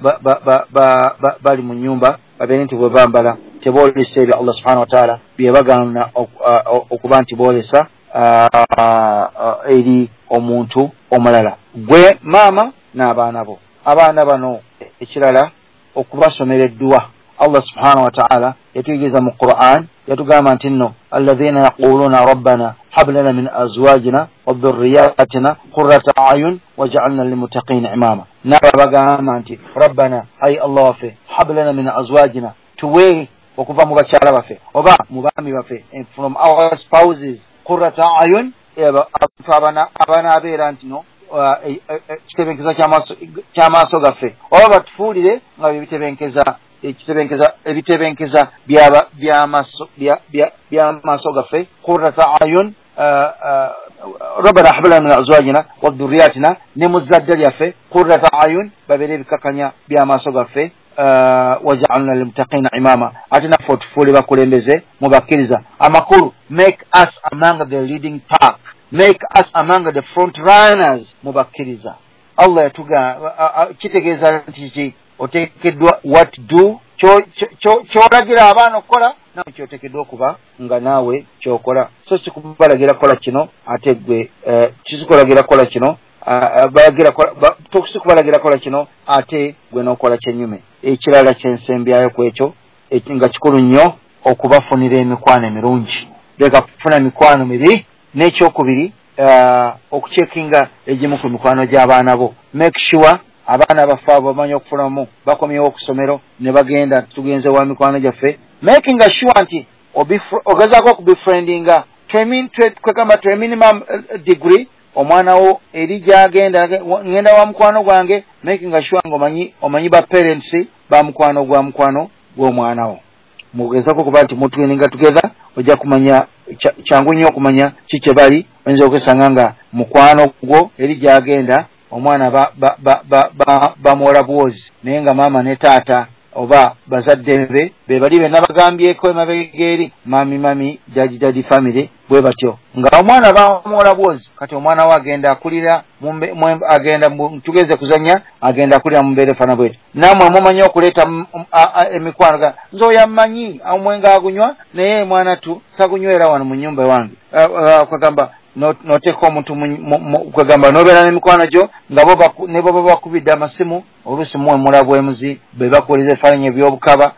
bali mu nyumba, babeere nti bwe bambala teboolesa ebyo Allah subhanahu wataala bye bagaana okuba nti boolesa. Eri omuntu omulala, gwe maama n'abaana bo. Abaana bano ekirala okubasomera edduwa. Allah subhanahu wa ta'ala yatuyigiriza mu Quran, yatugamba nti nno alladhina yaquluna rabbana hab lana min azwajina wa dhurriyatina qurrata a'yun waj'alna lilmuttaqina imama. Nabo bagamba nti rabbana, ayi Allah waffe, hab lana min azwajina, tuwe okuva mu bakyala baffe oba mu baami baffe, from our spouses, qurrata a'yun, abantu abanaabeera nti no kitebenkeza ky'amaaso gaffe, oba batufuulire nga bebitebenkeza ebitebenkeza by'amaaso gaffe. Qurrata a'yun, rabbana hab lana min azwajina wa dhurriyatina, ne mu zzadde lyaffe, qurrata a'yun, babeere ebikakanya by'amaaso gaffe, waj'alna lilmuttaqina imama, ate naffe otufuule bakulembeze mu bakkiriza. Amakulu, make us among the leading pack, make us among the front runners mu bakkiriza. Allah yatuga kitegeeza nti ki oteekeddwa what do ky'olagira abaana okukola, naawe kyoteekeddwa okuba nga naawe kyokola. So si kubalagira kukola kino ate gwe kikulagira kukola kino, si kubalagira kukola kino ate gwe n'okola kyennyume. Ekirala kyensembyayo ku ekyo nga kikulu nnyo, okubafunira emikwano emirungi. Leka kufuna mikwano mibi. N'ekyokubiri, okucekinga egimu ku mikwano gy'abaana bo. Make sure abaana baffe abo bamanyi okufunamu, bakomyewo okusomero ne bagenda tugenze wa mikwano gyaffe, making sure nti ogezaako okubefriendinga kwegamba to a minimum degree. Omwana wo eri gyagenda, ngenda wa mukwano gwange, making sure nga omanyi ba parents ba mukwano gwa mukwano gw'omwana wo. Mugezaako okuba nti mutwininga together, ojja kumanya kyangu nnyo okumanya ki kye bali. Oyinza okwesanga nga mukwano gwo eri gyagenda omwana bamuwola bwozi, naye nga maama ne taata oba bazadde be be bali be nabagambyeko emabega eri mami mami daddy daddy family bwe batyo, nga omwana bamuwola bwozi. Kati omwana we agenda akulira, agenda tugeze kuzannya, agenda akulira mu mbeera efaanana bwetyo. Nammwe mumanyi okuleeta emikwano, nze oyo ammanyi omwenge agunywa, naye mwana tu tagunywera wano mu nnyumba wange. Kwegamba noteeka omuntu, kwegamba nobeera n'emikwano gyo nga ne baba bakubidde amasimu, oluusi muwemula bwemuzi, be bakuwuliriza ebifaananyi eby'obukaba,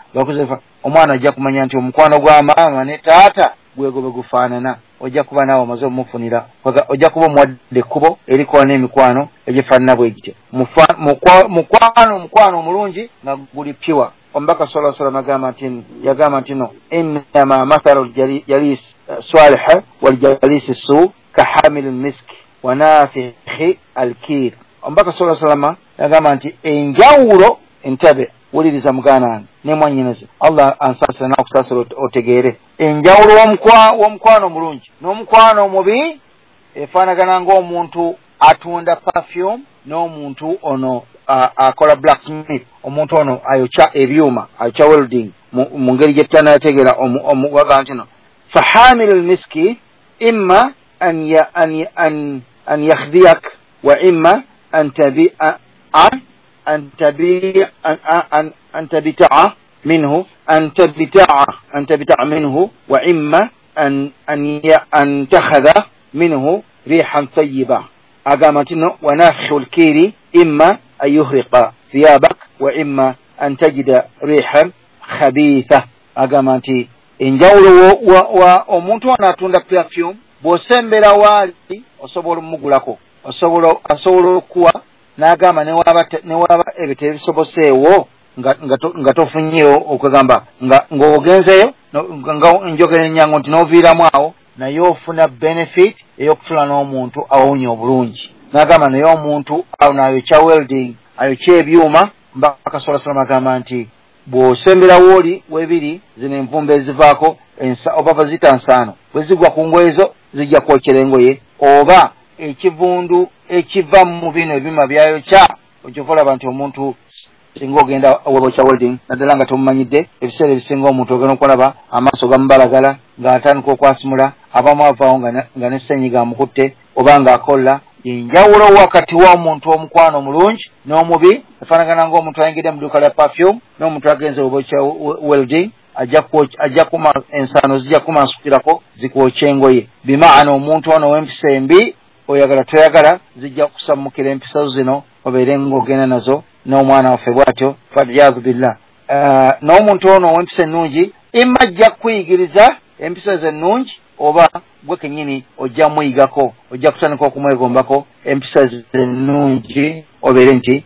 omwana ajja kumanya nti omukwano gwa maama ne taata gwego bwe gufaanana. Ojja kuba naawe omaze omufunira, ojja kuba omuwadde ekkubo erikola n'emikwano egifaanana bwe gityo. Mukwano omulungi nga guli pure. Omubaka sallallahu alaihi wasallam yagamba nti no innama mathalu jalis salih wal jalis su kahamil misk wa nafikhi alkir. Omubaka sallallahu alaihi wasallam yagamba nti enjawulo, entebe, wuliriza muganda wange ne mwannyinaze, Allah ansaasira n'akusaasira otegeere enjawulo w'omukwano omulungi n'omukwano omubi efaanagana ng'omuntu atunda perfume n'omuntu ono akola blacksmith, omuntu ono ayokya ebyuma, ayokya welding mu ngeri gye tutanategeera. Omuwaga nti no fahamilu lmiski imma an yakhdiyak wa imma an tabita'a minhu an tabita'a minhu wa imma an takhadha minhu rihan tayyiba. Agamba nti no wa nafikhu lkiri imma an yuhriqa thiyabak wa imma an tajida rihan khabitha. Agamba nti enjawulo wa omuntu ono atunda perfume, bw'osembera waali osobola omugulako, asobola okuwa, n'agamba newaba ebyo tebisoboseewo nga tofunyeewo, okwegamba ng'ogenzeeyo nga njogera ennyangu nti n'oviiramu awo, naye ofuna benefit ey'okutula n'omuntu awunya obulungi. N'agamba naye omuntu awo ayokya welding, ayokya ebyuma. Mbaka sallallahu alaihi wasallam agamba nti bw'osembera wooli webiri zino envumbo ezivaako oba baziyita nsaano, bwe zigwa ku ngoye zo zijja kwokera engoye, oba ekivundu ekiva mu bino ebyuma byayokya. Ojja olaba nti omuntu singa ogenda webokya welding, naddala nga tomumanyidde, ebiseera ebisinga omuntu ogenda okulaba amaaso gamubalagala ng'atandika okwasimula, abamu avaawo nga ne ssenyiga amukutte oba ng'akola. Enjawulo wakati w'omuntu omukwano omulungi n'omubi efaanagana ng'omuntu ayingidde mu dduuka lya perfume n'omuntu agenze webokya welding. Ajja kuma ensaano zijja kumansukirako zikwokya engoye. Bimaana omuntu ono ow'empisa embi oyagala toyagala zijja kusammukira empisa zino obeere ng'ogenda nazo n'omwana waffe bw'atyo, waliyadu billah. N'omuntu ono ow'empisa ennungi imma ajja kukuyigiriza empisa ze ennungi, oba gwe kennyini ojja muyigako, ojja kutandika okumwegombako empisa ze ennungi obeere nti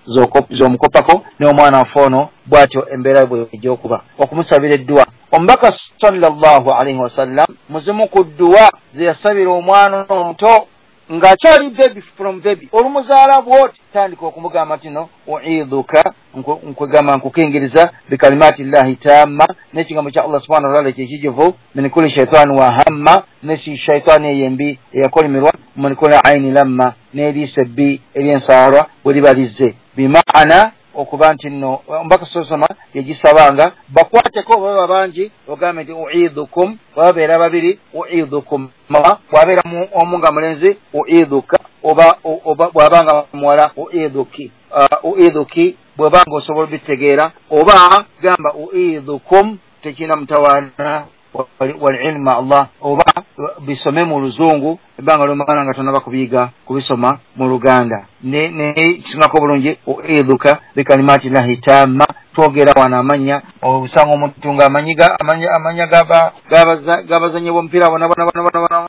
z'omukopako n'omwana waffe ono bw'atyo embeera bwe ejja okuba. Okumusabira edduwa, Omubaka sallallahu alaihi wasallam muzimu ku dduwa ze yasabira omwana omuto ng'akyali baby from baby, olumuzaala bw'oti tandika okumugamba nti no uidhuka, nkwegamba nkukingiriza bikalimati llahi tamma, n'ekigambo kya Allah subhanahu wataala ekyekijuvu, min kulli shaitani wa hamma, ne shaitaani eyo embi eyakolimirwa, min kulli aini lamma, n'eriiso ebbi ery'ensaalwa bwe liba lizze. Bimaana okuba nti nno Omubaka sosoma yagisabanga bakwateko baba bangi, ogambe nti uidhukum, bwababeera babiri uidhukum, bwabeera omu nga mulenzi uidhuka, oba bwaba nga muwala uidhuki, uidhuki bwebanga osobola obitegeera, oba gamba uidhukum tekirina mutawaana walilmu Allah, oba bisome mu luzungu ebbanga lyomala nga tonaba kubiyiga kubisoma mu Luganda. Nekisingako obulungi uidhuka bikalimati llahi tamma. Twogera wano amannya, osanga omuntu nga amanya g'abazannyi b'omupiira bona bona bona bona,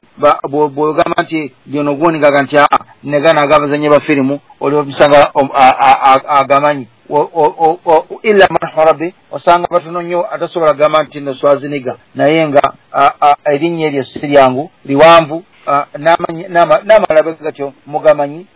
bw'ogamba nti gyono guwoningaga nti aa negana ag'abazannyi ba firimu, oli omusanga agamanyi illa man rabbi, osanga batono nnyo atasobola gamba nti nno Swaziniga, naye nga erinnya eryo si lyangu, liwanvu, n'amalala bwe gatyo mugamanyi,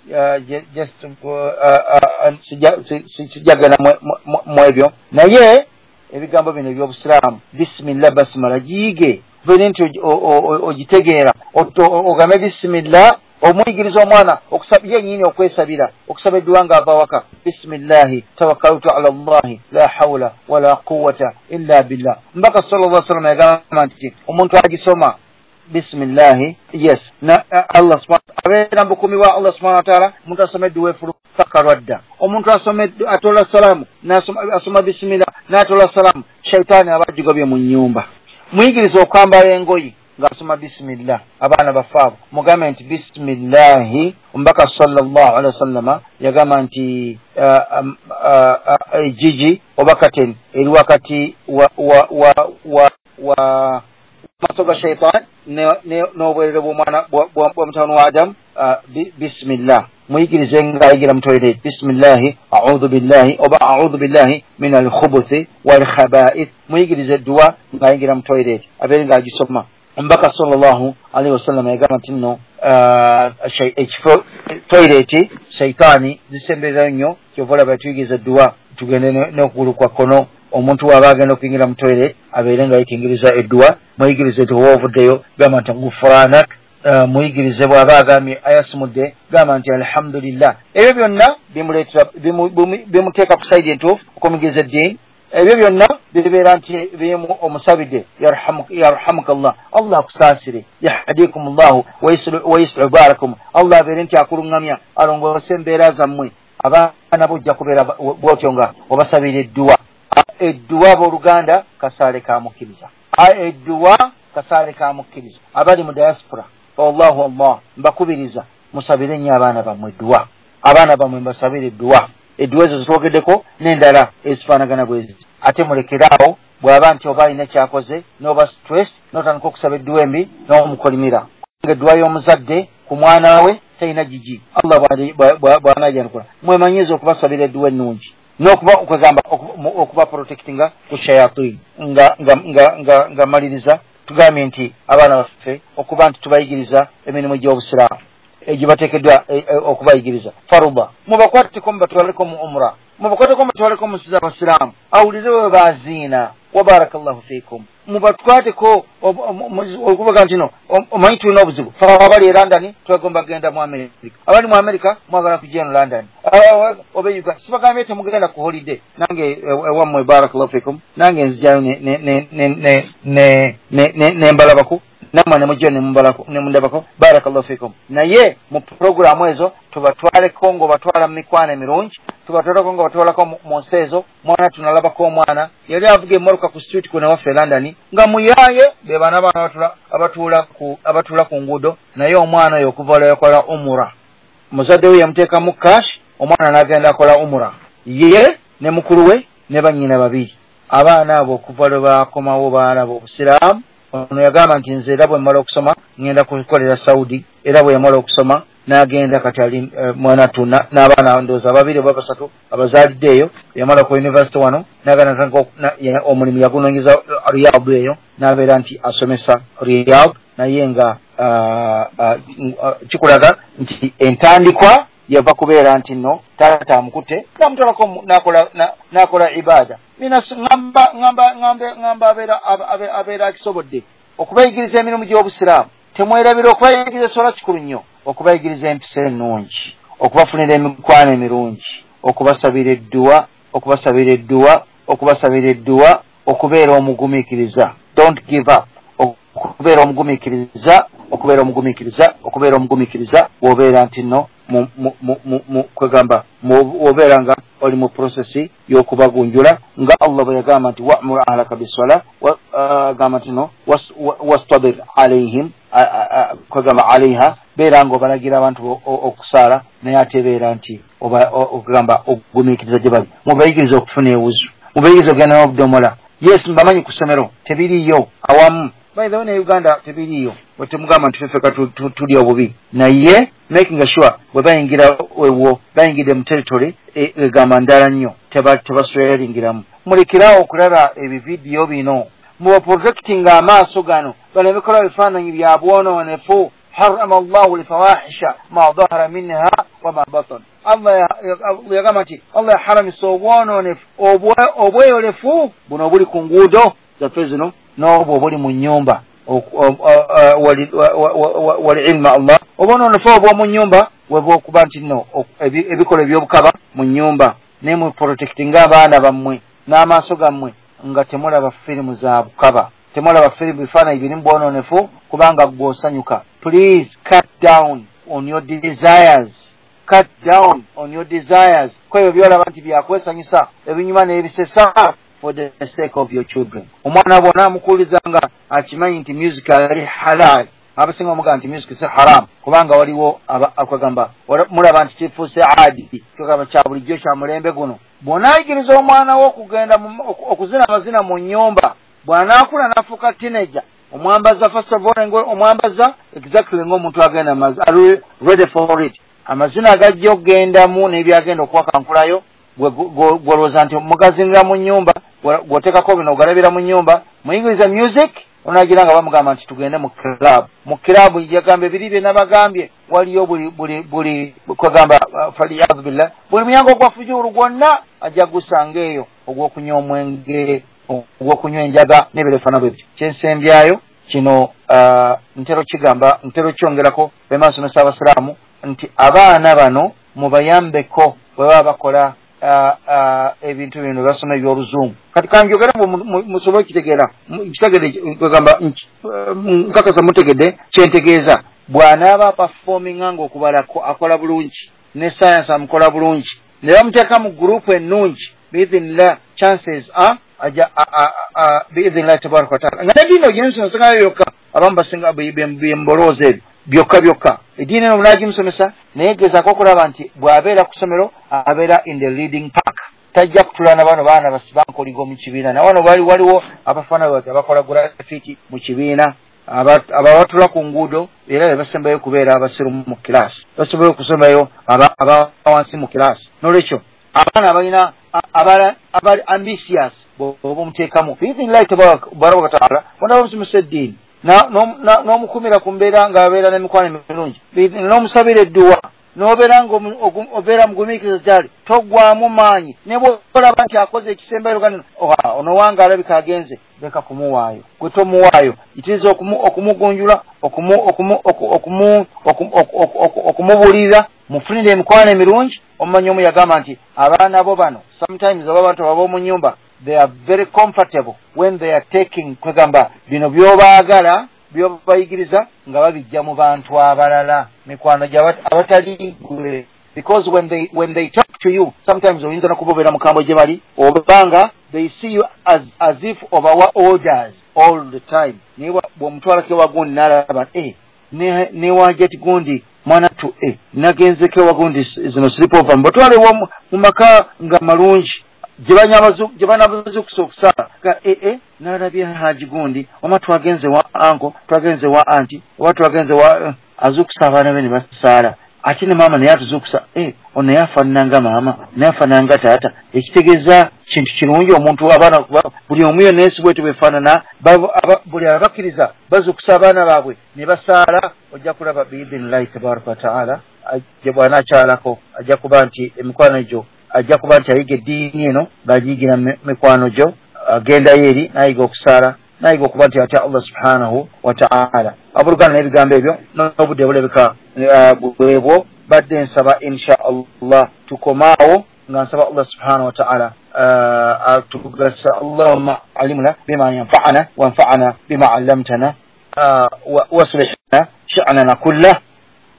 sijjagenda mu ebyo. Naye ebigambo bino eby'obusiraamu bisimillah basimala giyige, obeere nti ogitegeera, ogambe bisimillah, omuyigiriza omwana yennyini okwesabira, okusaba edduwa ng'ava waka, bisimillahi tawakkaltu ala llahi la hawla wala quwwata illa billah. Mbaka sallallahu alaihi wasallam yagamba nti omuntu agisoma bisimillahi, yes, na Allah subhanahu abeera mubukumi bwa Allah subhanahu wa taala. Omuntu asoma edduwa efuluka kalwadda, omuntu asoma atola salaamu asoma bisimillah n'atola salaamu, shaitaani aba agigobye mu nnyumba. Muyigiriza okwambala engoye ng'asoma bisimillah. Abaana baffe abo mugambe nti bisimillahi. Omubaka sallallahu alaihi wasallama yagamba nti ejjigi oba kateni eri wakati wa maaso ga shaitaani n'obwerere bw'omwana bwa mutabani wa Adamu. Bisimillah muyigirize ng'ayigira mu toilet, bisimillahi audhu billahi oba audhu billahi min alkhubuthi walkhaba'ith. Muyigirize edduwa ng'ayingira mu toilet abeere ng'agisoma. Omubaka sallallahu alaihi wasallam yagamba nti nno ekifo toilet shaitaani zisembererayo nnyo, kyova olaba tuyigiriza edduwa tugende n'okugulu kwa kkono. Omuntu waba agenda okuyingira mu toilet abeere nga yekingiriza edduwa. Muyigirize nti oba ovuddeyo gamba nti gufuranak, muyigirize bw'aba agambye ayasimudde gamba nti alhamdulillah. Ebyo byonna bimuleetera bimuteeka ku sayidi entuufu okumuyigiriza eddiini. Ebyo byonna bibeera nti bimu omusabidde yarhamuka Allah, Allah akusaasire, yahdikum llahu wayuslihu baarakum, Allah abeere nti akuluŋŋamya alongoose embeera zammwe. Abaana bo ojja kubeera bw'otyo nga obasabira edduwa. Edduwa abooluganda kasaale ka mukkiriza, edduwa kasaale ka mukkiriza. Abali mu diaspora, wallahu Allah, mbakubiriza musabire nnyo abaana bammwe edduwa, abaana bammwe mbasabire edduwa. Edduwa ezo zitwogeddeko n'endala ezifaanagana bwezi. Ate mulekeraawo bw'aba nti oba alina kyakoze n'oba stress n'otandika okusaba edduwa embi n'omukolimira. Edduwa y'omuzadde ku mwana we talina gigi, Allah bw'anaajanukula. Mwemanyiize okubasabira edduwa ennungi n'okuba okwegamba okuba protectinga ku shayatini. Nga maliriza tugambye nti abaana baffe okuba nti tubayigiriza emirimu gy'obusiraamu egibateekeddwa okubayigiriza faruba, mubakwateko mubatwaleko mu umra, mubakwateko mubatwaleko mu nsi z'abasiraamu, awulire bwe baziina. Wa barakallahu fiikum, mubatwateko okubaga nti no omanyi tulina obuzibu, fe abali e London twegomba kugenda mu America, abali mu America mwagala kujja eno London oba Uganda. Sibagambye temugenda ku holiday, nange ewammwe barakallahu fiikum, nange nzijayo nembalabako, Namwe ne mujja ne mundabako, barakallahu fikum. Naye mu programu ezo tubatwaleko ng'obatwala mu mikwano emirungi, tubatwaleko ng'obatwalako mu nsi ezo. Mwana tunalabako omwana yali avuga emmotoka ku street kuno waffe London nga muyaaye, be baana abatuula ku nguudo. Naye omwana oyo okuva lwe yakola umura, muzadde we yamuteekamu cash, omwana n'agenda akola umura, ye ne mukulu we ne bannyina babiri. Abaana abo okuva lwe bakomawo baalaba obusiraamu. Ono yagamba nti nze era bwe mmala okusoma ŋŋenda kukolera Saudi. Era bwe yamala okusoma n'agenda, kati ali mwana tu n'abaana ndowooza babiri oba basatu abazaalidde eyo. Yamala ku university wano n'agenda, omulimu yagunoonyeza Riyadh eyo, n'abeera nti asomesa Riyadh. Naye nga kikulaga nti entandikwa yava kubeera nti nno taata amukutte namutwalako n'akola ibada. Nina ŋŋamba abeera akisobodde okubayigiriza emirimu gy'obusiraamu. Temwerabira okubayigiriza essola, kikulu nnyo, okubayigiriza empisa ennungi, okubafunira emikwano emirungi, okubasabira edduwa, okubasabira edduwa, okubasabira edduwa, okubeera omugumiikiriza. Don't give up. Okubeera omugumiikiriza, okubeera omugumiikiriza, okubeera omugumiikiriza. Bw'obeera nti nno kwegamba obeera nga oli mu process y'okubagunjula, nga Allah bwe yagamba nti wa'mur ahlaka bissola, agamba nti no wastabir alaihim, kwegamba alaiha, beera nga obalagira abantu okusaala, naye ate beera nti okugamba ogumiikiriza gye bali. Mubayigiriza okufuna ewuzu, mubayigiriza okugenda n'obudomola. Yes, mbamanyi ku ssomero tebiriiyo awamu. By the way, ne Uganda tebiriiyo, bwe temugamba nti ffeka tuli obubi, naye making sure bwe bayingira ewo, bayingidde mu territory egamba ndala nnyo, tebasweringiramu. Mulekerawo okulaba ebividiyo bino, mubaprotectinga amaaso gano baleme kulaba bifaananyi bya bwonoonefu. Harama Allahu lfawahisha ma dhahara minha wama batan. Allah yagamba nti Allah yaharamisa obwonoonefu obweyolefu buno obuli ku nguudo zaffe zino n'obwo obuli mu nnyumba. Walilma Allah, obwonoonefu obw'omu nnyumba webwokuba nti nno ebikolwa ebyobukaba mu nnyumba. Naye muprotectinga abaana bammwe n'amaaso gammwe nga temulaba firimu za bukaba, temulaba firimu bifaananyi birimu bwonoonefu, kubanga ggwe osanyuka. Please cut down on your desires, cut down on your desires. Kwebyo byolaba nti byakwesanyusa, ebinyuma n'ebisesa, for the sake of your children. Omwana bw'ona amukuuliza nga akimanyi nti music ali halal, abasinga bamugamba nti music si haram, kubanga waliwo akwagamba mulaba nti kifuuse adi, kyogamba kya bulijjo kya mulembe guno. Bw'onaayigiriza omwana wo okugenda okuzina amazina mu nnyumba, bw'anaakula n'afuuka teenager, omwambaza first of all, omwambaza exactly ng'omuntu agenda ali ready for it. Amazina agajja okugendamu n'ebyagenda okuwakankulayo, gw'olowooza nti mugazinira mu nnyumba, gw'oteekako bino ogalabira mu nnyumba, muyigiriza music, onagira nga bamugamba nti tugende mu club. Mu club yagamba ebiri bye nabagambye, waliyo buli kwegamba faliyadhu billah, buli muyango gwa fujuru gwonna ajja gusanga eyo, ogw'okunywa omwenge, ogw'okunywa enjaga n'ebirefaana bwe bityo. Kyensembyayo kino, ntera kigamba, ntera kyongerako bwe nsomesa abasiraamu nti abaana bano mubayambeko bwe baba bakola ebintu bino basoma eby'oluzungu. Kati kanjogera musobole okitegeera, kitegedde, kwegamba nkakasa mutegedde kyentegeeza. Bw'anaaba performinga ng'okubala akola bulungi, ne science amukola bulungi, ne bamuteeka mu gurupu ennungi, biidhinillah chances are aja biidhinillah tabaraka wataala. Nga n'eddiini ogimusomesa yokka, abamu basinga byembolooza ebyo byokka byokka, eddiini eno munaagimusomesa, naye gezaako okulaba nti bw'abeera ku ssomero abeera in the leading pack, tajja kutula na bano baana basibankoligo mu kibiina. Na wano waliwo abafaana bati abakola grafiti mu kibiina, ababatula ku nguudo, era be basembayo kubeera abasiru mu kilaasi, basembayo okusembayo aba wansi mu kilaasi. N'olwekyo abaana abalina abali ambitious bw'oba omuteekamu biidhinillahi tabaraka wataala, bonna bamusomesa eddiini n'omukumira ku mbeera ng'abeera n'emikwano emirungi, n'omusabira edduwa, n'obeera nga obeera mugumiikiriza gyali, toggwamu maanyi. Ne bw'olaba nti akoze ekisembayo, ono wange alabika agenze, leka kumuwaayo, gwe tomuwaayo, yitiriza okumugunjula, okumubuulirira, mufunire emikwano emirungi. Omumanyi omu yagamba nti abaana bo bano sometimes oba abantu ab'omu nnyumba, they are very comfortable when they are taking, kwegamba bino by'obaagala byobayigiriza nga babijja mu bantu abalala, mikwano abatali gwe. Because when they talk to you, sometimes oyinza n'okubobeera mukambwe gye bali, obanga they see you as if obawa orders all the time. Naye bw'omutwalako ewa gundi n'alaba newajati gundi mwana tu nagenzeko ewa gundi zino sleepover, mbatwale mu maka nga malungi gye banabazukusa okusala ga nalabye haji gundi oma twagenze wa anko, twagenze wa anti, oba twagenze wa azukusa abaana be ne basaala. Ate ne maama naye atuzukusa, ono naye afaanana maama, naye afaanana taata. Ekitegeeza kintu kirungi omuntu abaana buli omu yonna ensi bwetyo bwefaanana, buli abakkiriza bazukusa abaana baabwe ne basaala. Ojja kulaba biidhinillahi tabaraka wataala bw'anaakyalako ajja kuba nti emikwano gyo, ajja kuba nti ayiga eddiini eno ng'agiyigira mikwano gyo, agendayo eri n'ayiga okusaala, n'ayiga okuba nti atya Allah subhanahu wa ta'ala. Abooluganda, n'ebigambo ebyo n'obudde bulabika bwebwo, badde nsaba insha Allah tukomaawo nga nsaba Allah subhanahu wa ta'ala atugasa. Allahumma alimna bima yanfa'ana wanfa'ana bima 'allamtana waslihna sha'nana kullah.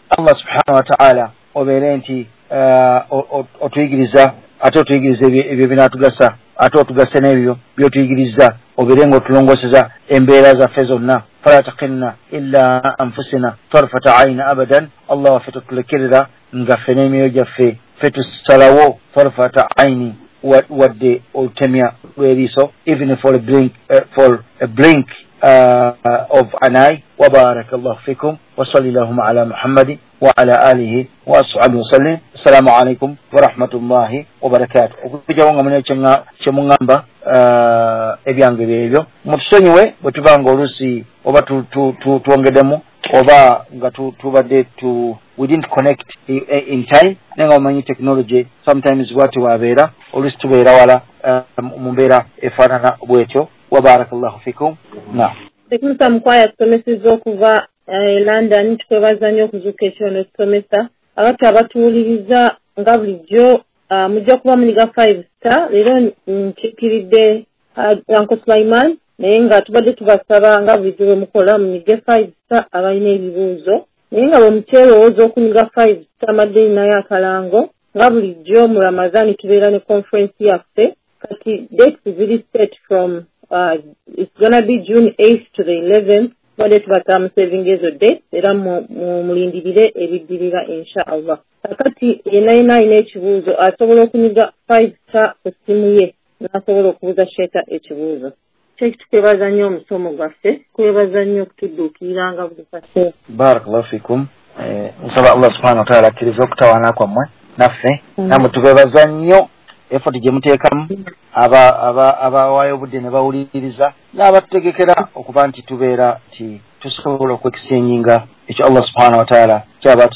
Allah subhanahu wa ta'ala obeere nti otuyigiriza, ate otuyigiriza ebyo binaatugasa, ate otugase n'ebyo byotuyigiriza, obeere nga otulongoseza embeera zaffe zonna. Fala taqilna illa anfusina tarfata ayna abadan. Allah waffe totulekerera nga ffe n'emyoyo gyaffe ffe tusalawo tarfata ayni, wadde olutemya lw'eriiso, even for a blink of an eye. Wa barakallahu fikum wa salli ala Muhammadi wa ala alihi wa ashabihi wa sallim. Assalamu alaikum wa rahmatullahi wa barakatuh. Okujjawo nga mulina kye muŋŋamba, ebyange byebyo mutusonyiwe bwe tuba nga oluusi oba twongeddemu oba nga tubadde we didn't connect in time, naye nga omanyi technology sometimes bwati wabeera oluusi tubeera wala mu mbeera efaanana bwetyo. Wa barakallahu fikum. Naam. Tekmusa Mukwaya tusomesezza okuva London, tukwebaza nnyo okuzuuka ekiro n'otusomesa. Abantu abatuwuliriza nga bulijjo mujja kuba muniga 5 star. Leero nkikiridde Uncle Sulaiman, naye nga tubadde tubasaba nga bulijjo bwe mukola munyige 5 star abalina ebibuuzo, naye nga bwe mukyerowooza okunyiga 5 star madde nayo akalango. Nga bulijjo mu Ramadhani tubeera ne conference yaffe, kati dates ziri set from it's gonna be June 8th to the 11th. Tubadde tubasaba mu saving ezo dates era mulindirire ebiddirira insha Allah. Kakati yenna yenna alina ekibuuzo asobola okunyiga 5 star ku ssimu ye n'asobola okubuuza Sheikh ekibuuzo. Sheikh, tukwebaza nnyo omusomo gwaffe, tukwebaza nnyo okutudduukirira nga buli kaseera. Barakallahu fikum. Nsaba Allah subhanahu wa ta'ala akkirize okutawaana kwammwe naffe, nammwe tubeebaza nnyo effort gye muteekamu, abawaayo obudde ne bawuliriza n'abatutegekera okuba nti tubeera nti tusobola okwexchanginga ekyo Allah subhanahu wa ta'ala kyaba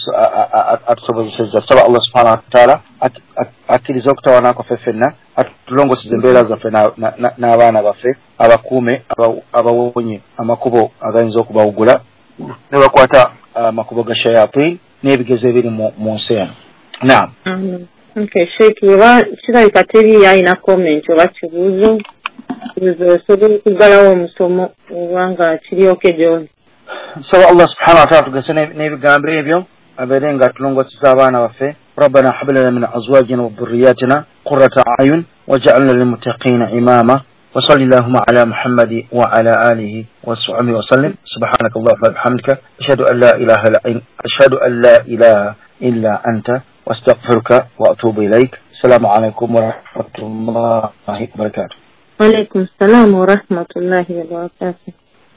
atusobozesezza. Tusaba Allah subhanahu wa ta'ala akkirize okutawaana kwaffe ffenna, atulongoseze embeera zaffe n'abaana baffe, abakuume, abawonye amakubo agayinza okubawugula ne bakwata amakubo ga shayatin n'ebigezo ebiri mu nsi eno. Naam. Okay, Sheikh, oba kirabika teri alina comment oba kibuuzo, osobola okuggalawo omusomo oba nga kiri okay gy'oli. Nsaba Allah subhanahu wa ta'ala tugase n'ebigambo ebyo, abeere nga atulongoseza abaana baffe. Rabbana hab lana min azwajina wa dhurriyyatina qurrata a'yun waj'alna lilmuttaqina imama. Wa salli allahumma ala Muhammadi wa ala alihi wa sahbihi wa sallim. Subhanakallahumma wa bihamdika ashhadu an la ilaha illa illa anta واستغفرك واتوب اليك. السلام عليكم ورحمه الله وبركاته. وعليكم السلام ورحمه الله وبركاته.